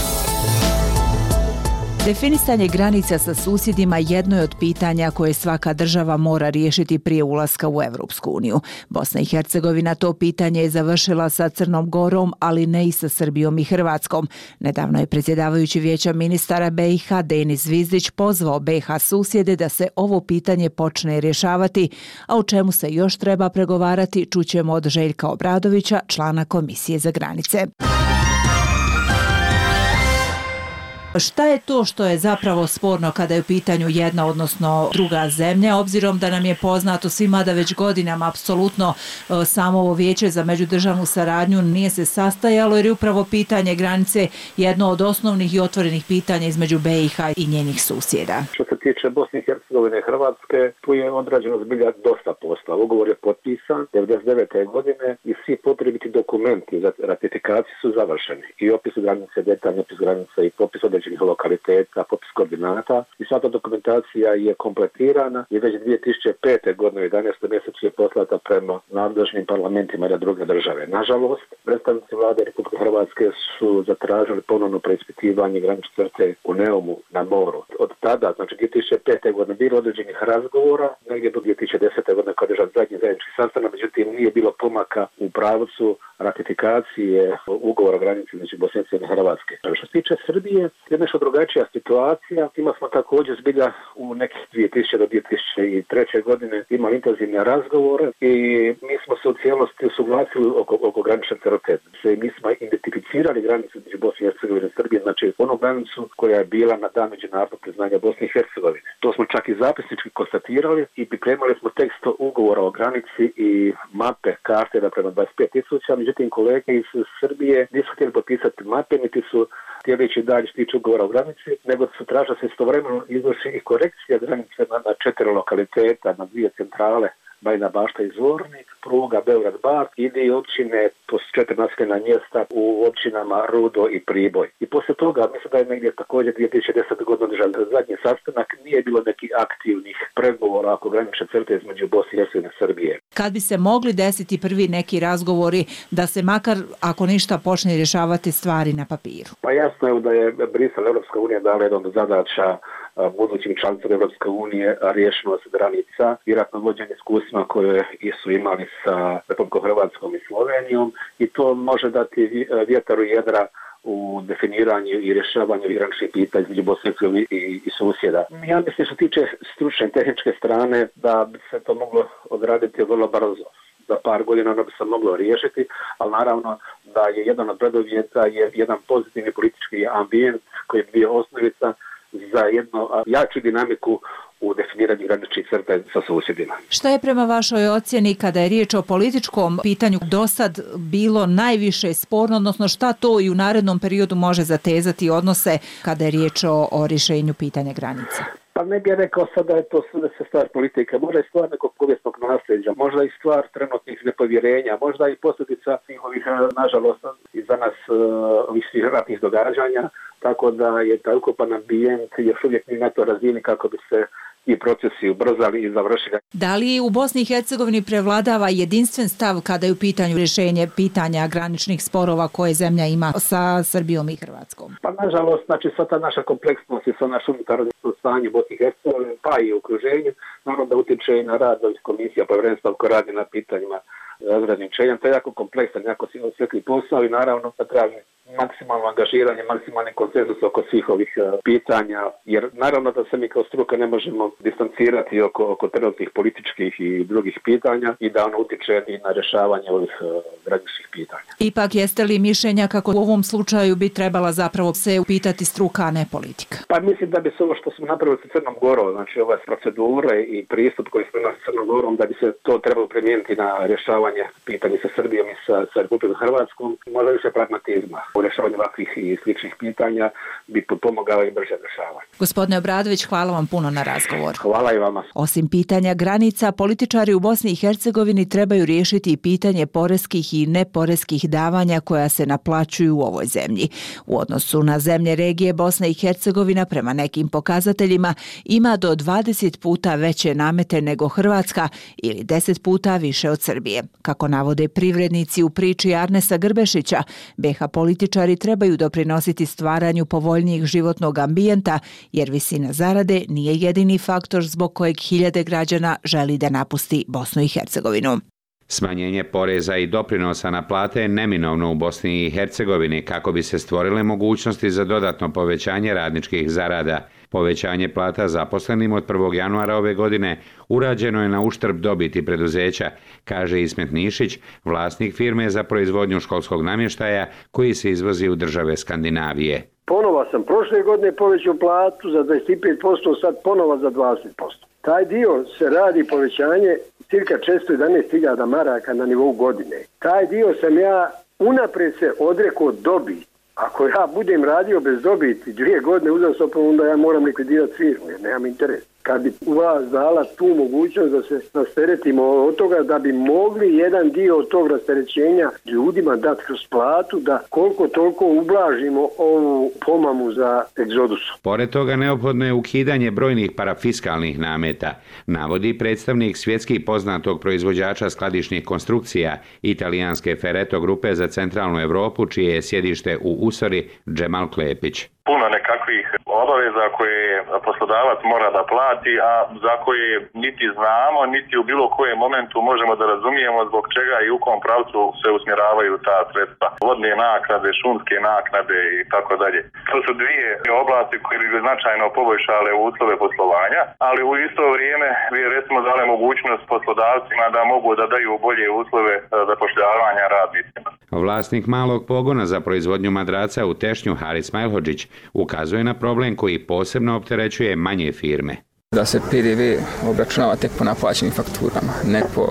Definisanje granica sa susjedima jedno je od pitanja koje svaka država mora riješiti prije ulaska u Evropsku uniju. Bosna i Hercegovina to pitanje je završila sa Crnom Gorom, ali ne i sa Srbijom i Hrvatskom. Nedavno je predsjedavajući Vijeća ministara B i H Denis Zvizdić pozvao B i H susjede da se ovo pitanje počne rješavati, a o čemu se još treba pregovarati čućemo od Željka Obradovića, člana Komisije za granice. Šta je to što je zapravo sporno kada je u pitanju jedna, odnosno druga zemlja, obzirom da nam je poznato svima da već godinama apsolutno samo ovo Vijeće za međudržavnu saradnju nije se sastajalo, jer je upravo pitanje granice jedno od osnovnih i otvorenih pitanja između B i H i njenih susjeda. Što se tiče Bosne i Hercegovine i Hrvatske, tu je odrađeno zbilja dosta posla. Ugovor je potpisan devedeset devete godine i svi potrebiti dokumenti za ratifikaciju su završeni. I opis granice, detaljni opis granice i popis određenih lokaliteta, popis koordinata i sva ta dokumentacija je kompletirana i već dvije tisuće pete godine u jedanaestom mjesecu je poslata prema nadležnim parlamentima na druge države. Nažalost, predstavnici vlade Republike Hrvatske su zatražili ponovno preispitivanje granične crte u Neumu na moru. Od tada, znači dvije tisuće pete godine, bilo određenih razgovora, negdje do dvije tisuće desete godine kada je održan zadnji zajednički sastanak, međutim nije bilo pomaka u pravcu ratifikacije ugovora o granici između Bosne i Hrvatske. Što se tiče Srbije, je nešto drugačija situacija. Ima smo također zbilja u nekih dvije tisuće do dvije tisuće treće godine imali intenzivne razgovore i mi smo se u cijelosti usuglasili oko, oko granične crte. Mi smo identificirali granicu između Bosne i Hercegovine i Srbije, znači onu granicu koja je bila na dan međunarodnog priznanja Bosne i Hercegovine. To smo čak i zapisnički konstatirali i pripremali smo tekst ugovora o granici i mape karte da prema dvadeset pet tisuća, međutim kolege iz Srbije nisu htjeli potpisati mape, niti su htjeli ići dalje što tiče ugovora o granici, nego su tražili se istovremeno izvrši i korekcija granice na, na četiri lokaliteta, na dvije centrale, Bajina Bašta i Zvornik, pruga Beograd-Bar, ide i općine po četiri naseljena mjesta u općinama Rudo i Priboj. I poslije toga, mislim da je negdje također dvije tisuće desete godine održan zadnji sastanak, nije bilo nekih aktivnih pregovora oko granične crte između Bosne i Hercegovine i Srbije. Kad bi se mogli desiti prvi neki razgovori da se makar, ako ništa, počne rješavati stvari na papiru? Pa jasno je da je Brisel, Evropska unija dala jedan od zadaća budućim članicama Evropske unije riješenost granica i ratno vođenje iskustvima koje su imali sa Republikom Hrvatskom i Slovenijom i to može dati vjetar u jedra u definiranju i rješavanju graničnih pitanja između Bosne i Hercegovine i, i susjeda. Ja mislim što tiče stručne i tehničke strane da bi se to moglo odraditi vrlo brzo. Za par godina ono bi se moglo riješiti, ali naravno da je jedan od preduvjeta je jedan pozitivni politički ambijent koji je bio osnovica za jednu jaču dinamiku u definiranju graničnih crta sa susjedima. Šta je prema vašoj ocjeni kada je riječ o političkom pitanju do sad bilo najviše sporno, odnosno šta to i u narednom periodu može zatezati odnose kada je riječ o, o rješenju pitanja granica? Pa ne bih rekao sad da je to sve se stvar politike, možda je stvar nekog povijesnog nasljeđa, možda i stvar trenutnih nepovjerenja, možda i posljedica svih ovih, nažalost, i za nas ovih svih ratnih događanja, tako da je taj ukupan ambijent još uvijek ni na to razini kako bi se i procesi ubrzali i završili. Da li u Bosni i Hercegovini prevladava jedinstven stav kada je u pitanju rješenje pitanja graničnih sporova koje zemlja ima sa Srbijom i Hrvatskom? Pa nažalost, znači sva ta naša kompleksnost i sva naša unutarnje stanje u Bosni i Hercegovini, pa i u okruženju, naravno da utječe i na rad ovih komisija, povjerenstva koje radi na pitanjima razgraničenja. To je jako kompleksan, jako osjetljiv posao i naravno da traži maksimalno angažiranje, maksimalni konsenzus oko svih ovih uh, pitanja, jer naravno da se mi kao struka ne možemo distancirati oko, oko trenutnih političkih i drugih pitanja i da ono utječe i na rješavanje ovih uh, graničnih pitanja. Ipak jeste li mišljenja kako u ovom slučaju bi trebala zapravo se upitati struka, a ne politika? Pa mislim da bi se ovo što smo napravili sa Crnom Gorom, znači ove procedure i pristup koji smo imali sa Crnom Gorom, da bi se to trebalo primijeniti na rješavanje pitanja sa Srbijom i sa, sa Republikom Hrvatskom, možda više pragmatizma. U rješavanju ovakvih i sličnih pitanja bi pomogao i brže rješavanje. Gospodine Obradović, hvala vam puno na razgovor. Hvala i vama. Osim pitanja granica, političari u Bosni i Hercegovini trebaju riješiti i pitanje poreskih i neporeskih davanja koja se naplaćuju u ovoj zemlji. U odnosu na zemlje regije, Bosna i Hercegovina prema nekim pokazateljima ima do dvadeset puta veće namete nego Hrvatska ili deset puta više od Srbije. Kako navode privrednici u priči Arnesa Grbešića, be ha političari trebaju doprinositi stvaranju povoljnijeg životnog ambijenta, jer visina zarade nije jedini faktor zbog kojeg hiljade građana želi da napusti Bosnu i Hercegovinu. Smanjenje poreza i doprinosa na plate je neminovno u Bosni i Hercegovini kako bi se stvorile mogućnosti za dodatno povećanje radničkih zarada. Povećanje plata zaposlenim od prvog januara ove godine urađeno je na uštrb dobiti preduzeća, kaže Ismet Nišić, vlasnik firme za proizvodnju školskog namještaja koji se izvozi u države Skandinavije. Ponova sam prošle godine povećao platu za dvadeset pet posto, sad ponova za dvadeset posto. Taj dio se radi povećanje cirka četiristo jedanaest hiljada maraka na nivou godine. Taj dio sam ja unaprijed se odrekao dobiti. Ako ja budem radio bez dobiti dvije godine uzastopno, onda ja moram likvidirati firmu jer nemam interes. Kad bi vas dala tu mogućnost da se rasteretimo od toga, da bi mogli jedan dio od tog rasterećenja ljudima dati kroz platu, da koliko toliko ublažimo ovu pomamu za egzodus. Pored toga neophodno je ukidanje brojnih parafiskalnih nameta, navodi predstavnik svjetski poznatog proizvođača skladišnih konstrukcija italijanske Ferreto grupe za centralnu Europu, čije je sjedište u Usori, Džemal Klepić. Puno nekakvih obaveza koje poslodavac mora da plati, a za koje niti znamo, niti u bilo kojem momentu možemo da razumijemo zbog čega i u kom pravcu se usmjeravaju ta sredstva. Vodne naknade, šumske naknade i tako dalje. To su dvije oblasti koje bi značajno poboljšale uslove poslovanja, ali u isto vrijeme bi recimo dale mogućnost poslodavcima da mogu da daju bolje uslove zapošljavanja radnicima. Vlasnik malog pogona za proizvodnju madraca u Tešnju, Haris Majlhođić, ukazuje na problem koji posebno opterećuje manje firme. Da se pe de ve obračunava tek po naplaćenim fakturama, ne po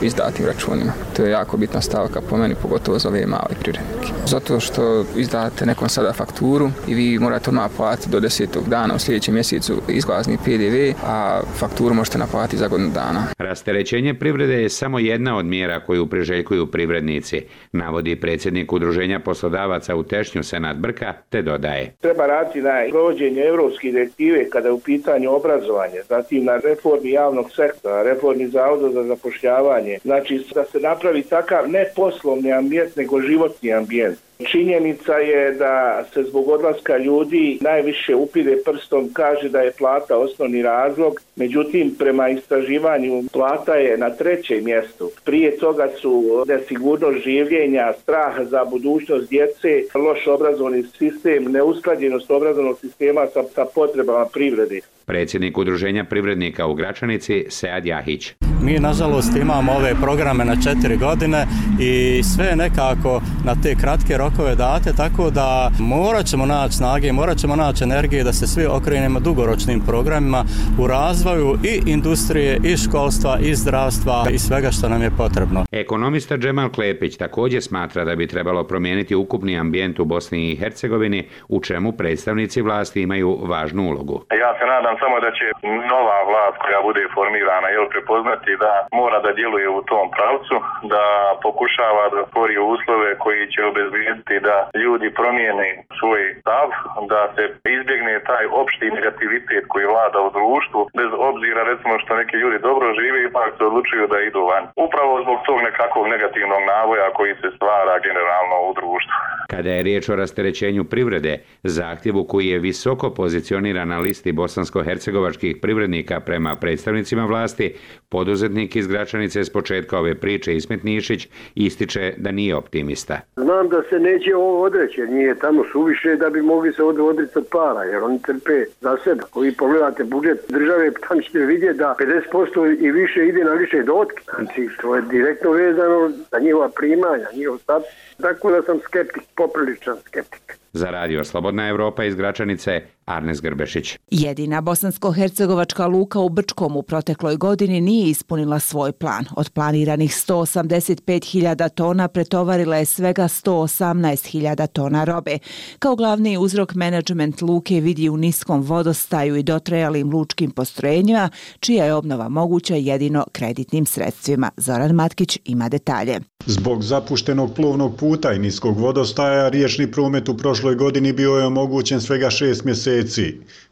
izdatim računima. To je jako bitna stavka po meni, pogotovo za ove male privrednike. Zato što izdate nekom sada fakturu i vi morate odmah platiti do desetog dana u sljedećem mjesecu izlazni pe de ve, a fakturu možete naplatiti za godinu dana. Rasterećenje privrede je samo jedna od mjera koju priželjkuju privrednici, navodi predsjednik Udruženja poslodavaca u Tešnju Senad Brka, te dodaje. Treba raditi na provođenju europske direktive kada je u pitanju obrazovanja, zatim na reformi javnog sektora, reformi zavoda za zapošljavanje, znači da se napravi takav ne poslovni ambijent, nego životni ambijent. Činjenica je da se zbog odlaska ljudi najviše upire prstom, kaže da je plata osnovni razlog, međutim prema istraživanju plata je na trećem mjestu. Prije toga su nesigurnost življenja, strah za budućnost djece, loš obrazovni sistem, neusklađenost obrazovnog sistema sa, sa potrebama privrede. Predsjednik Udruženja privrednika u Gračanici, Sead Jahić. Mi nažalost imamo ove programe na četiri godine i sve nekako na te kratke rokove date, tako da morat ćemo naći snage, morat ćemo naći energije da se svi okrenemo dugoročnim programima u razvoju i industrije, i školstva, i zdravstva i svega što nam je potrebno. Ekonomista Džemal Klepić također smatra da bi trebalo promijeniti ukupni ambijent u Bosni i Hercegovini, u čemu predstavnici vlasti imaju važnu ulogu. Ja se nadam samo da će nova vlast koja bude formirana jel, prepoznati da mora da djeluje u tom pravcu, da pokušava da stvori uslove koji će obezbijediti da ljudi promijene svoj stav, da se izbjegne taj opšti negativitet koji vlada u društvu, bez obzira recimo što neki ljudi dobro žive, ipak se odlučuju da idu van. Upravo zbog tog nekakvog negativnog navoja koji se stvara generalno u društvu. Kada je riječ o rasterećenju privrede, zahtjevu koji je visoko pozicioniran na listi bosansko-hercegovačkih privrednika prema predstavnicima vlasti, poduzetnik iz Gračanice s početka ove priče Ismet Nišić ističe da nije optimista. Znam da se neće ovo odreći, jer nije tamo suviše da bi mogli se odricati para, jer oni trpe za sebe. Ako vi pogledate budžet države, tam ćete vidjeti da pedeset posto i više ide na više dotke. Znači, to je direktno vezano za njihova primanja, njihov status. Tako da sam skeptik, popriličan skeptik. Za Radio Slobodna Evropa iz Gračanice, Arnes Grbešić. Jedina bosansko-hercegovačka luka u Brčkom u protekloj godini nije ispunila svoj plan. Od planiranih sto osamdeset pet hiljada tona pretovarila je svega sto osamnaest hiljada tona robe. Kao glavni uzrok menadžment luke vidi u niskom vodostaju i dotrajalim lučkim postrojenjima, čija je obnova moguća jedino kreditnim sredstvima. Zoran Matkić ima detalje. Zbog zapuštenog plovnog puta i niskog vodostaja, riječni promet u prošloj godini bio je omogućen svega šest mjeseci.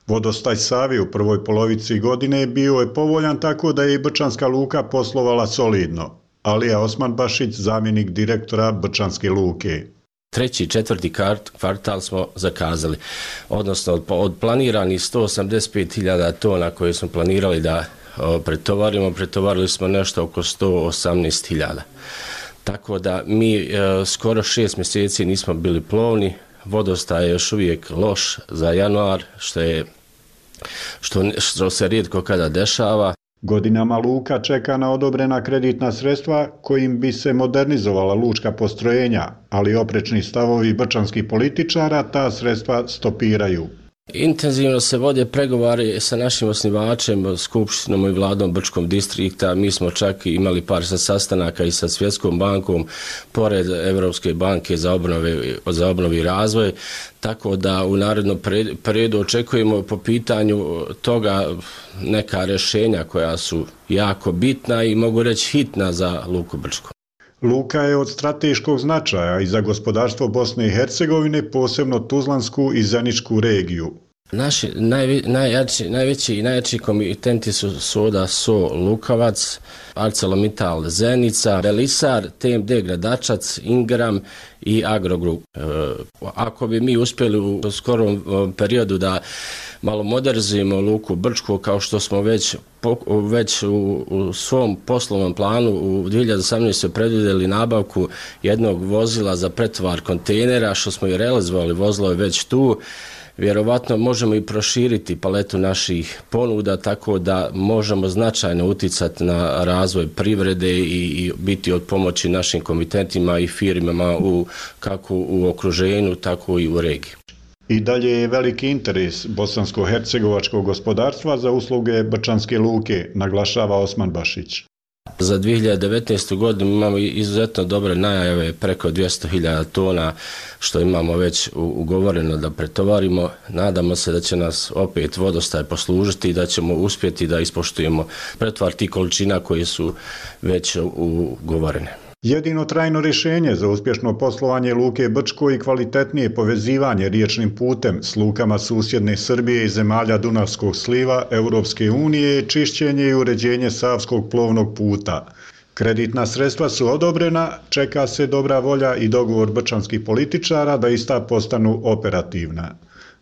Vodostaj Savi u prvoj polovici godine bio je povoljan, tako da je i Brčanska luka poslovala solidno. Alija Osmanbašić, zamjenik direktora Brčanske luke. Treći i četvrti kvartal smo zakazali, odnosno od planiranih sto osamdeset pet hiljada tona koje smo planirali da pretovarimo, pretovarili smo nešto oko sto osamnaest hiljada. Tako da mi e, skoro šest mjeseci nismo bili plovni, vodostaj je još uvijek loš za januar, što, je, što, što se rijetko kada dešava. Godinama luka čeka na odobrena kreditna sredstva kojim bi se modernizovala lučka postrojenja, ali oprečni stavovi brčanskih političara ta sredstva stopiraju. Intenzivno se vode pregovori sa našim osnivačem, Skupštinom i vladom Brčkog distrikta. Mi smo čak imali par sastanaka i sa Svjetskom bankom, pored Evropske banke za obnove, za obnovu i razvoj. Tako da u narednom periodu očekujemo po pitanju toga neka rješenja koja su jako bitna i mogu reći hitna za luku Brčko. Luka je od strateškog značaja i za gospodarstvo Bosne i Hercegovine, posebno Tuzlansku i Zeničku regiju. Naši najvi, najjači, najveći i najjači komitenti su Soda So Lukavac, ArcelorMittal Zenica, Belisar, T M D Gradačac, Ingram i Agrogrup. E, ako bi mi uspjeli u skorom periodu da malo modernizujemo luku Brčko, kao što smo već, već u, u svom poslovnom planu u dvije hiljade osamnaestoj predvidjeli nabavku jednog vozila za pretovar kontejnera, što smo i realizovali, vozilo je već tu. Vjerovatno možemo i proširiti paletu naših ponuda tako da možemo značajno uticati na razvoj privrede i, i biti od pomoći našim komitentima i firmama u, kako u okruženju, tako i u regiji. I dalje je veliki interes bosansko-hercegovačkog gospodarstva za usluge Brčanske luke, naglašava Osmanbašić. Za dvije hiljade devetnaestu. godinu imamo izuzetno dobre najave, preko dvjesto hiljada tona što imamo već ugovoreno da pretovarimo. Nadamo se da će nas opet vodostaj poslužiti i da ćemo uspjeti da ispoštujemo pretovar tih količina koje su već ugovorene. Jedino trajno rješenje za uspješno poslovanje luke Brčko i kvalitetnije povezivanje riječnim putem s lukama susjedne Srbije i zemalja Dunavskog sliva Europske unije je čišćenje i uređenje Savskog plovnog puta. Kreditna sredstva su odobrena, čeka se dobra volja i dogovor brčanskih političara da ista postanu operativna.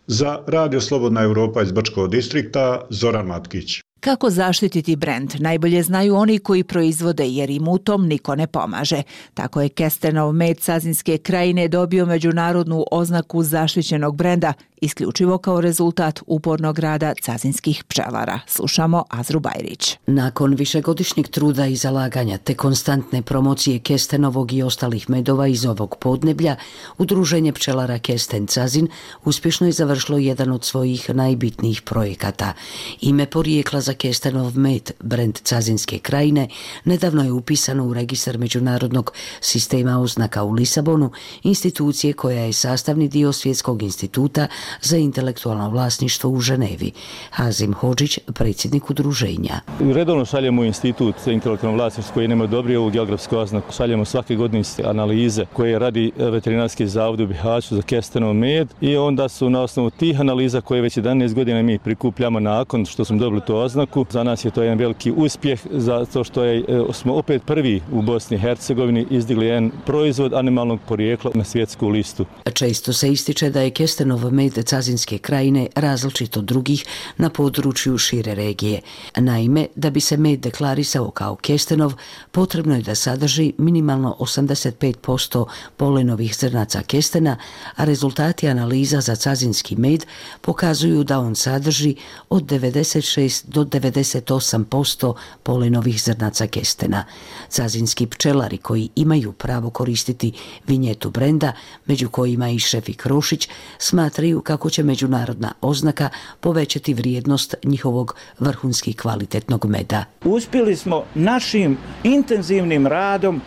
Za Radio Slobodna Evropa iz Brčkog distrikta, Zoran Matkić. Kako zaštititi brend? Najbolje znaju oni koji proizvode, jer im u tom niko ne pomaže. Tako je kestenov med Cazinske krajine dobio međunarodnu oznaku zaštićenog brenda, isključivo kao rezultat upornog rada cazinskih pčelara. Slušamo Azru Bajrić. Nakon višegodišnjeg truda i zalaganja te konstantne promocije kestenovog i ostalih medova iz ovog podneblja, Udruženje pčelara Kesten Cazin uspješno je završilo jedan od svojih najbitnijih projekata. Ime porijekla za kestenov med, brend Cazinske krajine, nedavno je upisano u registar međunarodnog sistema oznaka u Lisabonu, institucije koja je sastavni dio Svjetskog instituta za intelektualno vlasništvo u Ženevi. Hazim Hodžić, predsjednik udruženja. Redovno šaljemo u institut za intelektualno vlasništvo koji nema dobri ovu geografsku oznaku. Šaljemo svake godine analize koje radi veterinarski zavod u Bihaću za kestenov med i onda su na osnovu tih analiza koje već jedanaest godina mi prikupljamo nakon što smo dobili tu oznaku. Za nas je to jedan veliki uspjeh zato što je, smo opet prvi u Bosni i Hercegovini izdigli jedan proizvod animalnog porijekla na svjetsku listu. Često se ističe da je kestenov med Cazinske krajine različit od drugih na području šire regije. Naime, da bi se med deklarisao kao kestenov, potrebno je da sadrži minimalno osamdeset pet posto polenovih zrnaca kestena, a rezultati analiza za cazinski med pokazuju da on sadrži od devedeset šest do devedeset osam posto polenovih zrnaca kestena. Cazinski pčelari koji imaju pravo koristiti vinjetu brenda, među kojima i Šefik Rošić, smatraju kako će međunarodna oznaka povećati vrijednost njihovog vrhunski kvalitetnog meda. Uspjeli smo našim intenzivnim radom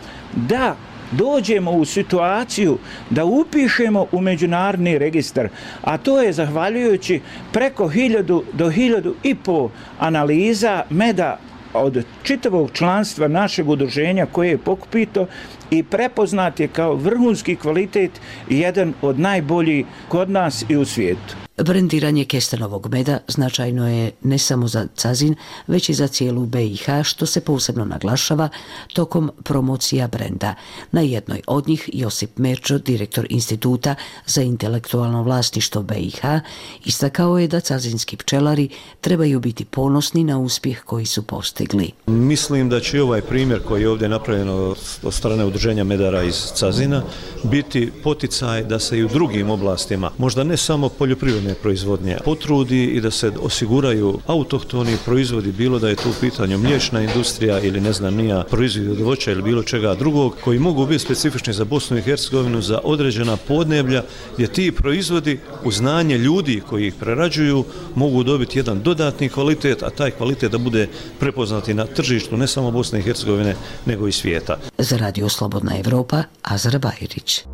da dođemo u situaciju da upišemo u međunarodni registar, a to je zahvaljujući preko hiljadu do hiljadu i po analiza meda od čitavog članstva našeg udruženja koje je pokupito i prepoznat je kao vrhunski kvalitet i jedan od najboljih kod nas i u svijetu. Brendiranje kestenovog meda značajno je ne samo za Cazin, već i za cijelu B i H, što se posebno naglašava tokom promocija brenda. Na jednoj od njih Josip Merčo, direktor Instituta za intelektualno vlasništvo B i H, istakao je da cazinski pčelari trebaju biti ponosni na uspjeh koji su postigli. Mislim da će ovaj primjer koji je ovdje napravljen od strane udruženja medara iz Cazina biti poticaj da se i u drugim oblastima, možda ne samo poljoprivredne proizvodnje, potrudi i da se osiguraju autohtoni proizvodi, bilo da je tu u pitanju mliječna industrija ili ne znam nija proizvodi od voća ili bilo čega drugog, koji mogu biti specifični za Bosnu i Hercegovinu, za određena podneblja gdje ti proizvodi u znanje ljudi koji ih prerađuju mogu dobiti jedan dodatni kvalitet, a taj kvalitet da bude prepoznati na tržištu ne samo Bosne i Hercegovine nego i svijeta. Za Radio Slobodna Evropa, Azra Bajrić.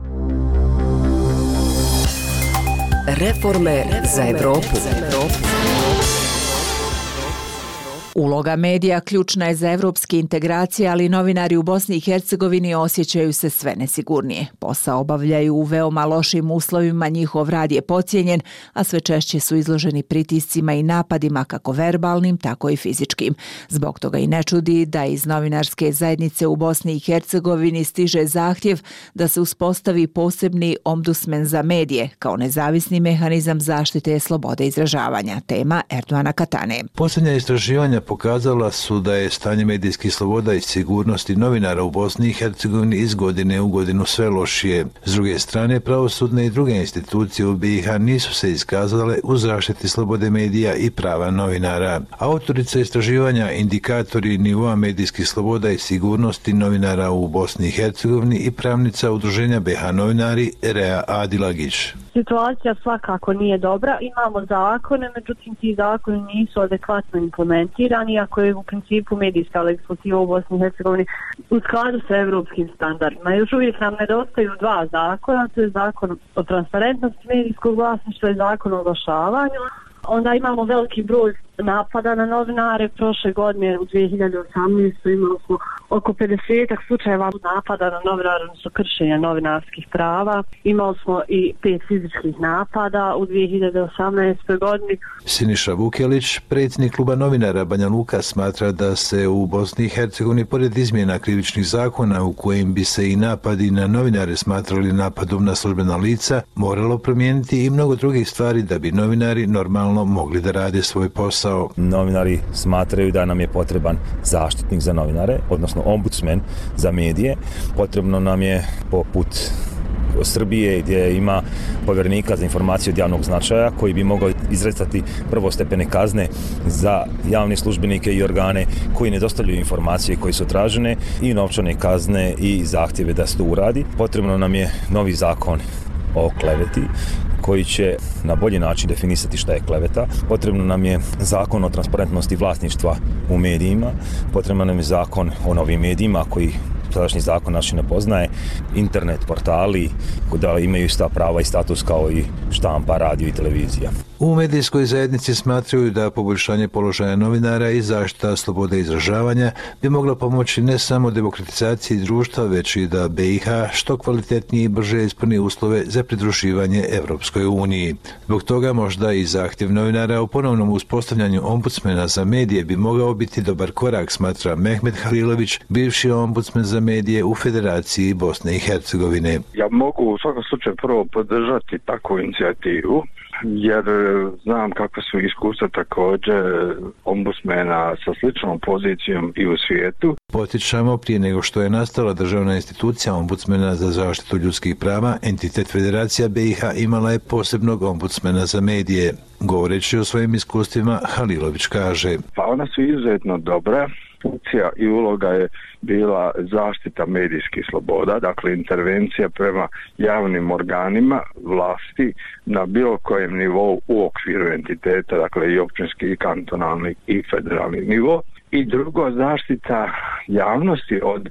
Reforme za Evropu. Uloga medija ključna je za evropske integracije, ali novinari u Bosni i Hercegovini osjećaju se sve nesigurnije. Posao obavljaju u veoma lošim uslovima, njihov rad je podcijenjen, a sve češće su izloženi pritiscima i napadima kako verbalnim, tako i fizičkim. Zbog toga i ne čudi da iz novinarske zajednice u Bosni i Hercegovini stiže zahtjev da se uspostavi posebni ombudsman za medije kao nezavisni mehanizam zaštite slobode izražavanja. Tema Erdoana Katane. Posljednja istraživanja pokazala su da je stanje medijskih sloboda i sigurnosti novinara u Bosni i Hercegovini iz godine u godinu sve lošije. S druge strane, pravosudne i druge institucije u B i H nisu se iskazale u zaštiti slobode medija i prava novinara. Autorica istraživanja Indikatori nivoa medijskih sloboda i sigurnosti novinara u Bosni i Hercegovini i pravnica udruženja B H novinari Rea Adilagić. Situacija svakako nije dobra. Imamo zakone, međutim ti zakoni nisu adekvatno implementirani, iako je u principu medijska legislativa u Bosni i Hercegovini u skladu sa evropskim standardima. Još uvijek nam nedostaju dva zakona, to je zakon o transparentnosti medijskog vlasništva i zakon o oglašavanju. Onda imamo veliki broj napada na novinare. Prošle godine u dvije hiljade osamnaestoj imali smo oko pedeset slučajeva napada na novinare, odnosno kršenja novinarskih prava. Imali smo i pet fizičkih napada u dvije hiljade osamnaestoj godini. Siniša Vukelić, predsjednik kluba novinara Banja Luka, smatra da se u Bosni i Hercegovini pored izmjena krivičnih zakona u kojim bi se i napadi na novinare smatrali napadom na službena lica, moralo promijeniti i mnogo drugih stvari da bi novinari normalno mogli da rade svoj posao. posao. Novinari smatraju da nam je potreban zaštitnik za novinare, odnosno ombudsman za medije. Potrebno nam je poput Srbije gdje ima povjerenika za informacije od javnog značaja koji bi mogao izrecati prvostepene kazne za javne službenike i organe koji ne dostavljaju informacije koje su tražene i novčane kazne i zahtjeve da se to uradi. Potrebno nam je novi zakon o kleveti koji će na bolji način definisati šta je kleveta. Potrebno nam je zakon o transparentnosti vlasništva u medijima. Potrebno nam je zakon o novim medijima koji sadašnji zakon naši ne poznaje, internet portali da imaju ista prava i status kao i štampa, radio i televizija. U medijskoj zajednici smatraju da poboljšanje položaja novinara i zaštita slobode izražavanja bi mogla pomoći ne samo demokratizaciji društva, već i da B i H što kvalitetnije i brže ispuni uslove za pridruživanje Evropskoj uniji. Zbog toga možda i zahtjev novinara u ponovnom uspostavljanju ombudsmena za medije bi mogao biti dobar korak, smatra Mehmet Halilović, bivši ombudsmen za medije u Federaciji Bosne i Hercegovine. Ja mogu u svakom slučaju prvo podržati takvu inicijativu, jer znam kakve su iskustva također ombudsmena sa sličnom pozicijom i u svijetu. Potičamo, prije nego što je nastala državna institucija ombudsmena za zaštitu ljudskih prava, entitet Federacija B i H imala je posebnog ombudsmena za medije. Govoreći o svojim iskustvima, Halilović kaže: Pa ona su izuzetno dobra. Funkcija i uloga je bila zaštita medijskih sloboda, dakle intervencija prema javnim organima vlasti na bilo kojem nivou u okviru entiteta, dakle i općinski, i kantonalni, i federalni nivo. I drugo, zaštita javnosti od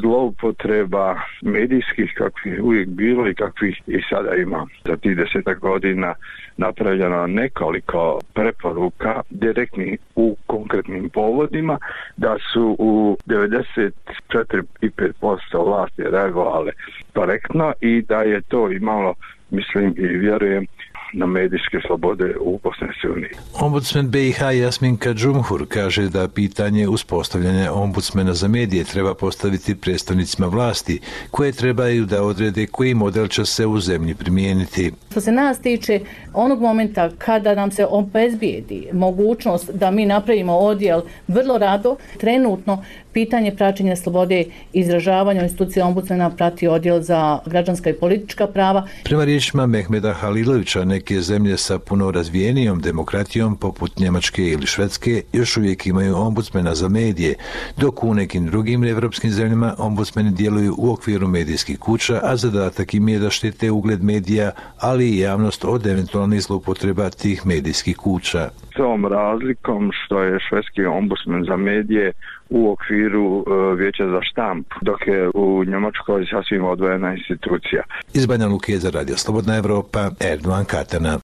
zloupotreba medijskih kakvih uvijek bilo i kakvih i sada ima. Za tih desetak godina napravljeno nekoliko preporuka direktnih u konkretnim povodima, da su u devedeset četiri zarez pet posto vlasti reagovale korektno i da je to imalo, mislim i vjerujem, na medijske slobode u Bosni i Hercegovini. Ombudsman B i H Jasminka Džumhur kaže da pitanje uspostavljanja ombudsmena za medije treba postaviti predstavnicima vlasti, koje trebaju da odrede koji model će se u zemlji primijeniti. Što se nas tiče, onog momenta kada nam se obezbijedi mogućnost da mi napravimo odjel, vrlo rado, trenutno pitanje praćenja slobode izražavanja institucija ombudsmena prati odjel za građanska i politička prava. Prema riječima Mehmeda Halilovića, neke zemlje sa puno razvijenijom demokratijom poput Njemačke ili Švedske još uvijek imaju ombudsmena za medije, dok u nekim drugim evropskim zemljama ombudsmeni djeluju u okviru medijskih kuća, a zadatak im je da štite ugled medija, ali i javnost od eventualnih zloupotreba tih medijskih kuća. S ovom razlikom što je švedski ombudsman za medije u okviru uh, Vijeća za štamp, dok je u Njemačkoj sasvim odvojena institucija. Iz Banja Luke za Radio Slobodna Evropa, Erdovan Katana.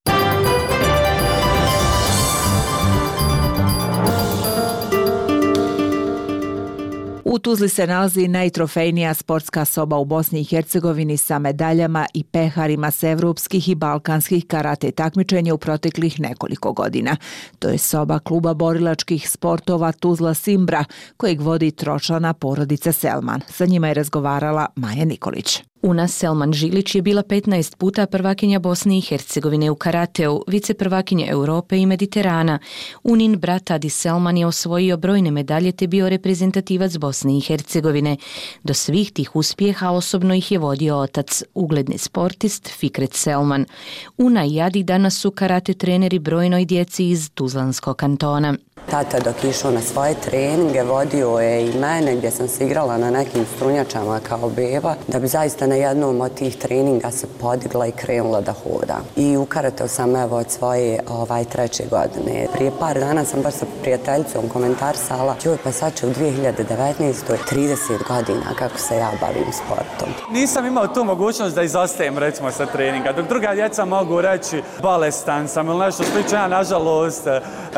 U Tuzli se nalazi najtrofejnija sportska soba u Bosni i Hercegovini sa medaljama i peharima s evropskih i balkanskih karate takmičenja u proteklih nekoliko godina. To je soba kluba borilačkih sportova Tuzla Simbra, kojeg vodi tročlana porodica Selman. Sa njima je razgovarala Maja Nikolić. Una Selman Žilić je bila petnaest puta prvakinja Bosne i Hercegovine u karateu, viceprvakinja Europe i Mediterana. Unin brat Adi Selman je osvojio brojne medalje te bio reprezentativac Bosne i Hercegovine. Do svih tih uspjeha osobno ih je vodio otac, ugledni sportist Fikret Selman. Una i Adi danas su karate treneri brojnoj djeci iz Tuzlanskog kantona. Tata dok išao na svoje treninge vodio je i mene gdje sam se igrala na nekim strunjačama kao beba, da bi zaista na jednom od tih treninga se podigla i krenula da hoda. I u karateu sam evo od svoje ovaj, treće godine. Prije par dana sam baš sa prijateljicom komentarsala, joj pa sad će u dvije hiljade devetnaestoj trideset godina kako se ja bavim sportom. Nisam imao tu mogućnost da izostajem recimo sa treninga, dok druga djeca mogu reći bolestan sam ili nešto slično, ja nažalost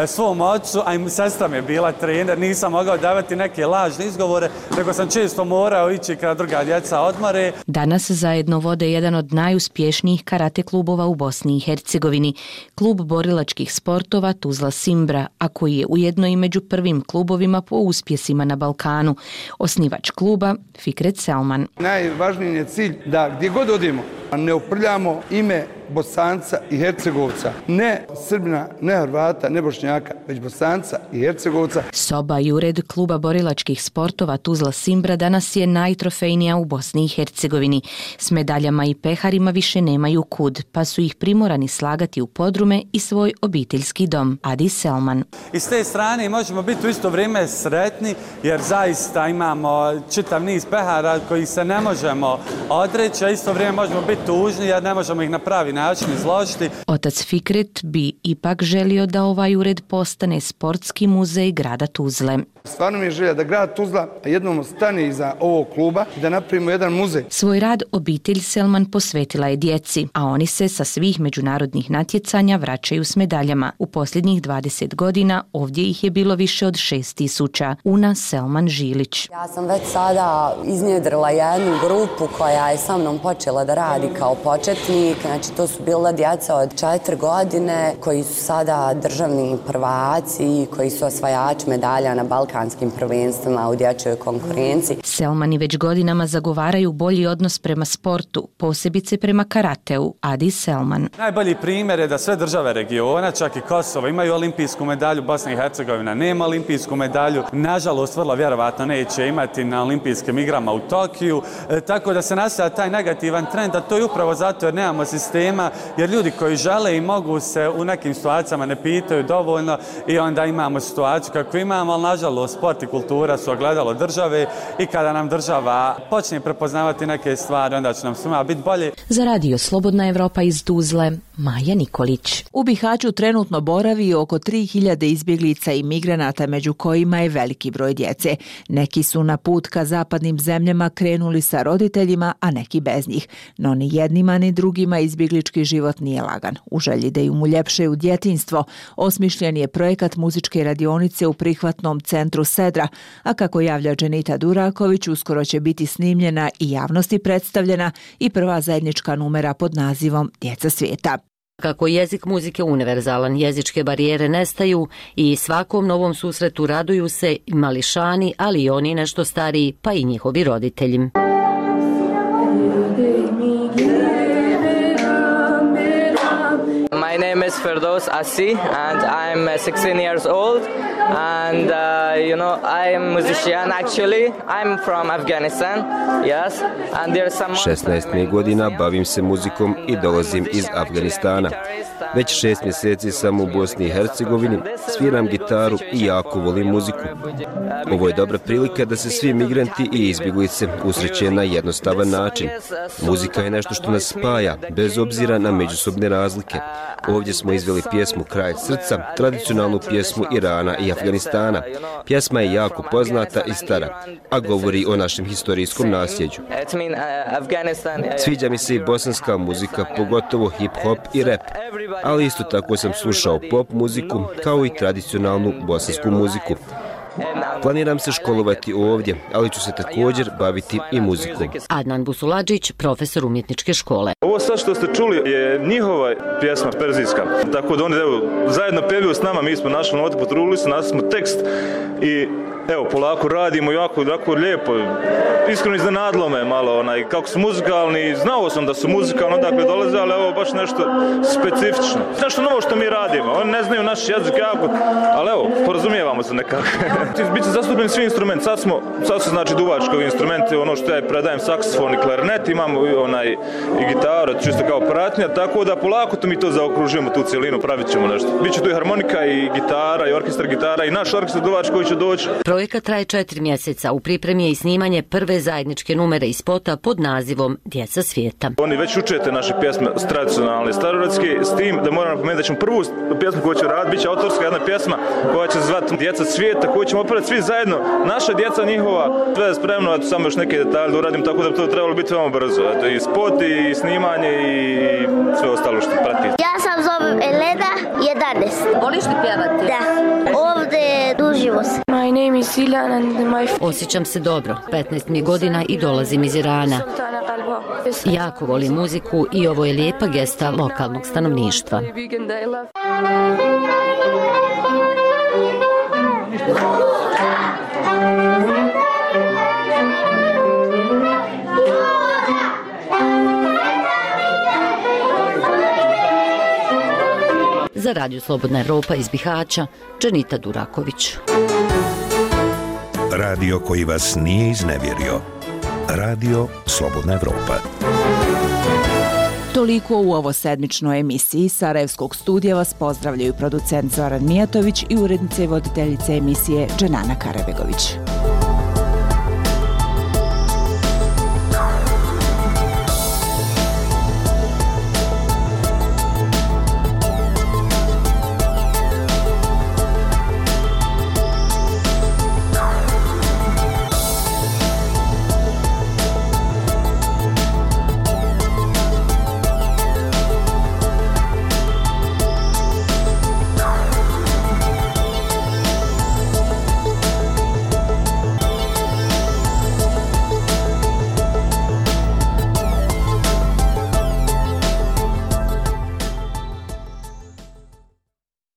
svom ocu, a i sestra mi je bila trener, nisam mogao davati neke lažne izgovore, nego sam često morao ići kada druga djeca odmore. Danas zajedno vode jedan od najuspješnijih karate klubova u Bosni i Hercegovini, klub borilačkih sportova Tuzla Simbra, a koji je ujedno i među prvim klubovima po uspjesima na Balkanu. Osnivač kluba Fikret Selman. Najvažniji je cilj da gdje god odemo, ne uprljamo ime Bosanca i Hercegovca. Ne Srbina, ne Hrvata, ne Bošnjaka, već Bosanca i Hercegovca. Soba i ured kluba borilačkih sportova Tuzla Simbra danas je najtrofejnija u Bosni i Hercegovini. S medaljama i peharima više nemaju kud, pa su ih primorani slagati u podrume i svoj obiteljski dom. Adi Selman. I s te strane možemo biti u isto vrijeme sretni, jer zaista imamo čitav niz pehara koji se ne možemo odreći, a isto vrijeme možemo biti tužni jer ne možemo ih na pravi način izložiti. Otac Fikret bi ipak želio da ovaj ured postane sportski muzej grada Tuzle. Stvarno mi je želja da grad Tuzla jednom stane iza ovog kluba i da napravimo jedan muzej. Svoj rad obitelj Selman posvetila je djeci, a oni se sa svih međunarodnih natjecanja vraćaju s medaljama. U posljednjih dvadeset godina ovdje ih je bilo više od šest tisuća. Una Selman Žilić. Ja sam već sada iznjedrila jednu grupu koja je sa mnom počela da radi kao početnik. Znači to su bila djeca od četiri godine koji su sada državni prvaci, koji su osvajači medalja na balkanskim prvenstvima u dječjoj konkurenciji. Selmani već godinama zagovaraju bolji odnos prema sportu, posebice prema karateu. Adi Selman. Najbolji primjer je da sve države regiona, čak i Kosovo, imaju olimpijsku medalju, Bosna i Hercegovina nema olimpijsku medalju. Nažalost, vrlo vjerovatno neće imati na olimpijskim igrama u Tokiju, e, tako da se nastavlja taj negativan trend, a to je upravo zato jer nemamo sistema, jer ljudi koji žele i mogu se u nekim situacijama ne pitaju dovoljno i onda imamo situaciju kako imamo, ali nažalost sport i kultura su ogledalo države i kada nam država počne prepoznavati neke stvari, onda će nam svima biti bolje. Za radio Slobodna Evropa iz Tuzle, Maja Nikolić. U Bihaću trenutno boravi oko tri hiljade izbjeglica i migranata, među kojima je veliki broj djece. Neki su na put ka zapadnim zemljama krenuli sa roditeljima, a neki bez njih. No ni jednima ni drugima izbjeglički život nije lagan. U želji da im uljepšaju djetinjstvo, osmišljen je projekat muzičke radionice u prihvatnom centru Sedra, a kako javlja Dženita Duraković, uskoro će biti snimljena i javnosti predstavljena i prva zajednička numera pod nazivom Djeca svijeta. Kako jezik muzike univerzalan, jezičke barijere nestaju i svakom novom susretu raduju se i mališani, ali i oni nešto stariji, pa i njihovi roditelji. My name is Ferdows Asi and I'm sixteen years old and uh, you know I am musician actually. I'm from Afghanistan. Yes. And there's some šesnaest mi godina bavim se muzikom i dolazim iz Afganistana. Već šest mjeseci sam u Bosni i Hercegovini, sviram gitaru i jako volim muziku. Ovo je dobra prilika da se svi migranti i izbjeglice usreće na jednostavan način. Muzika je nešto što nas spaja, bez obzira na međusobne razlike. Ovdje smo izveli pjesmu Kralj srca, tradicionalnu pjesmu Irana i Afganistana. Pjesma je jako poznata i stara, a govori o našem historijskom nasljeđu. Sviđa mi se i bosanska muzika, pogotovo hip-hop i rap, ali isto tako sam slušao pop muziku, kao i tradicionalnu bosansku muziku. Planiram se školovati ovdje, ali ću se također baviti i muzikom. Adnan Busuladžić, profesor umjetničke škole. Ovo sad što ste čuli je njihova pjesma perzijska, tako da oni evo, zajedno pevaju s nama, mi smo našli note, potrudili su, našli smo tekst i evo, polako radimo, jako, jako lijepo. Iskreno iznenadilo me malo, onaj, kako su muzikalni, znao sam da su muzikalni odakle dolaze, ali evo baš nešto specifično. Nešto novo što mi radimo, oni ne znaju naš jezik jako, ali evo, porazumijevamo se nekako. Biće zastupljeni svi instrumenti, sad smo, sad su znači duvački instrumenti, ono što ja predajem saksofon i klarinet, imamo onaj i gitaru, čisto kao pratnja, tako da polako to mi to zaokružujemo, tu cijelinu, pravit ćemo nešto. Biće tu i harmonika i gitara i orkestar gitara i naš orkestar duvač koji će doći. Projekat traje četiri mjeseca, u pripremi je i snimanje prve zajedničke numere i spota pod nazivom Djeca svijeta. Oni već učete naše pjesme tradicionalne, starorodske, s tim da moram napomenuti da ćemo prvu pjesmu koju ću raditi, bit će autorska jedna pjesma koja će se zvati Djeca svijeta, koju ćemo opraviti svi zajedno, naša djeca njihova, sve je spremno, a samo još neke detalje da uradim, tako da bi to trebalo biti veoma brzo. Eto, i spot, i snimanje, i sve ostalo što prati. Ja sam zovem Elena, jedanaest. Voliš li pjevati? Da. Ovdje duživo se. My name is Ilan and my... Osjećam se dobro, petnaest mi godina i dolazim iz Irana. Jako volim muziku i ovo je lijepa gesta lokalnog stanovništva. Radio Slobodna Evropa iz Bihaća, Dženita Duraković. Radio koji vas nije iznevjerio. Radio Slobodna Evropa. Toliko u ovo sedmičnoj emisiji. Sarajevskog studija vas pozdravljaju producent Zoran Mijatović i urednice i voditeljice emisije Dženana Karabegović.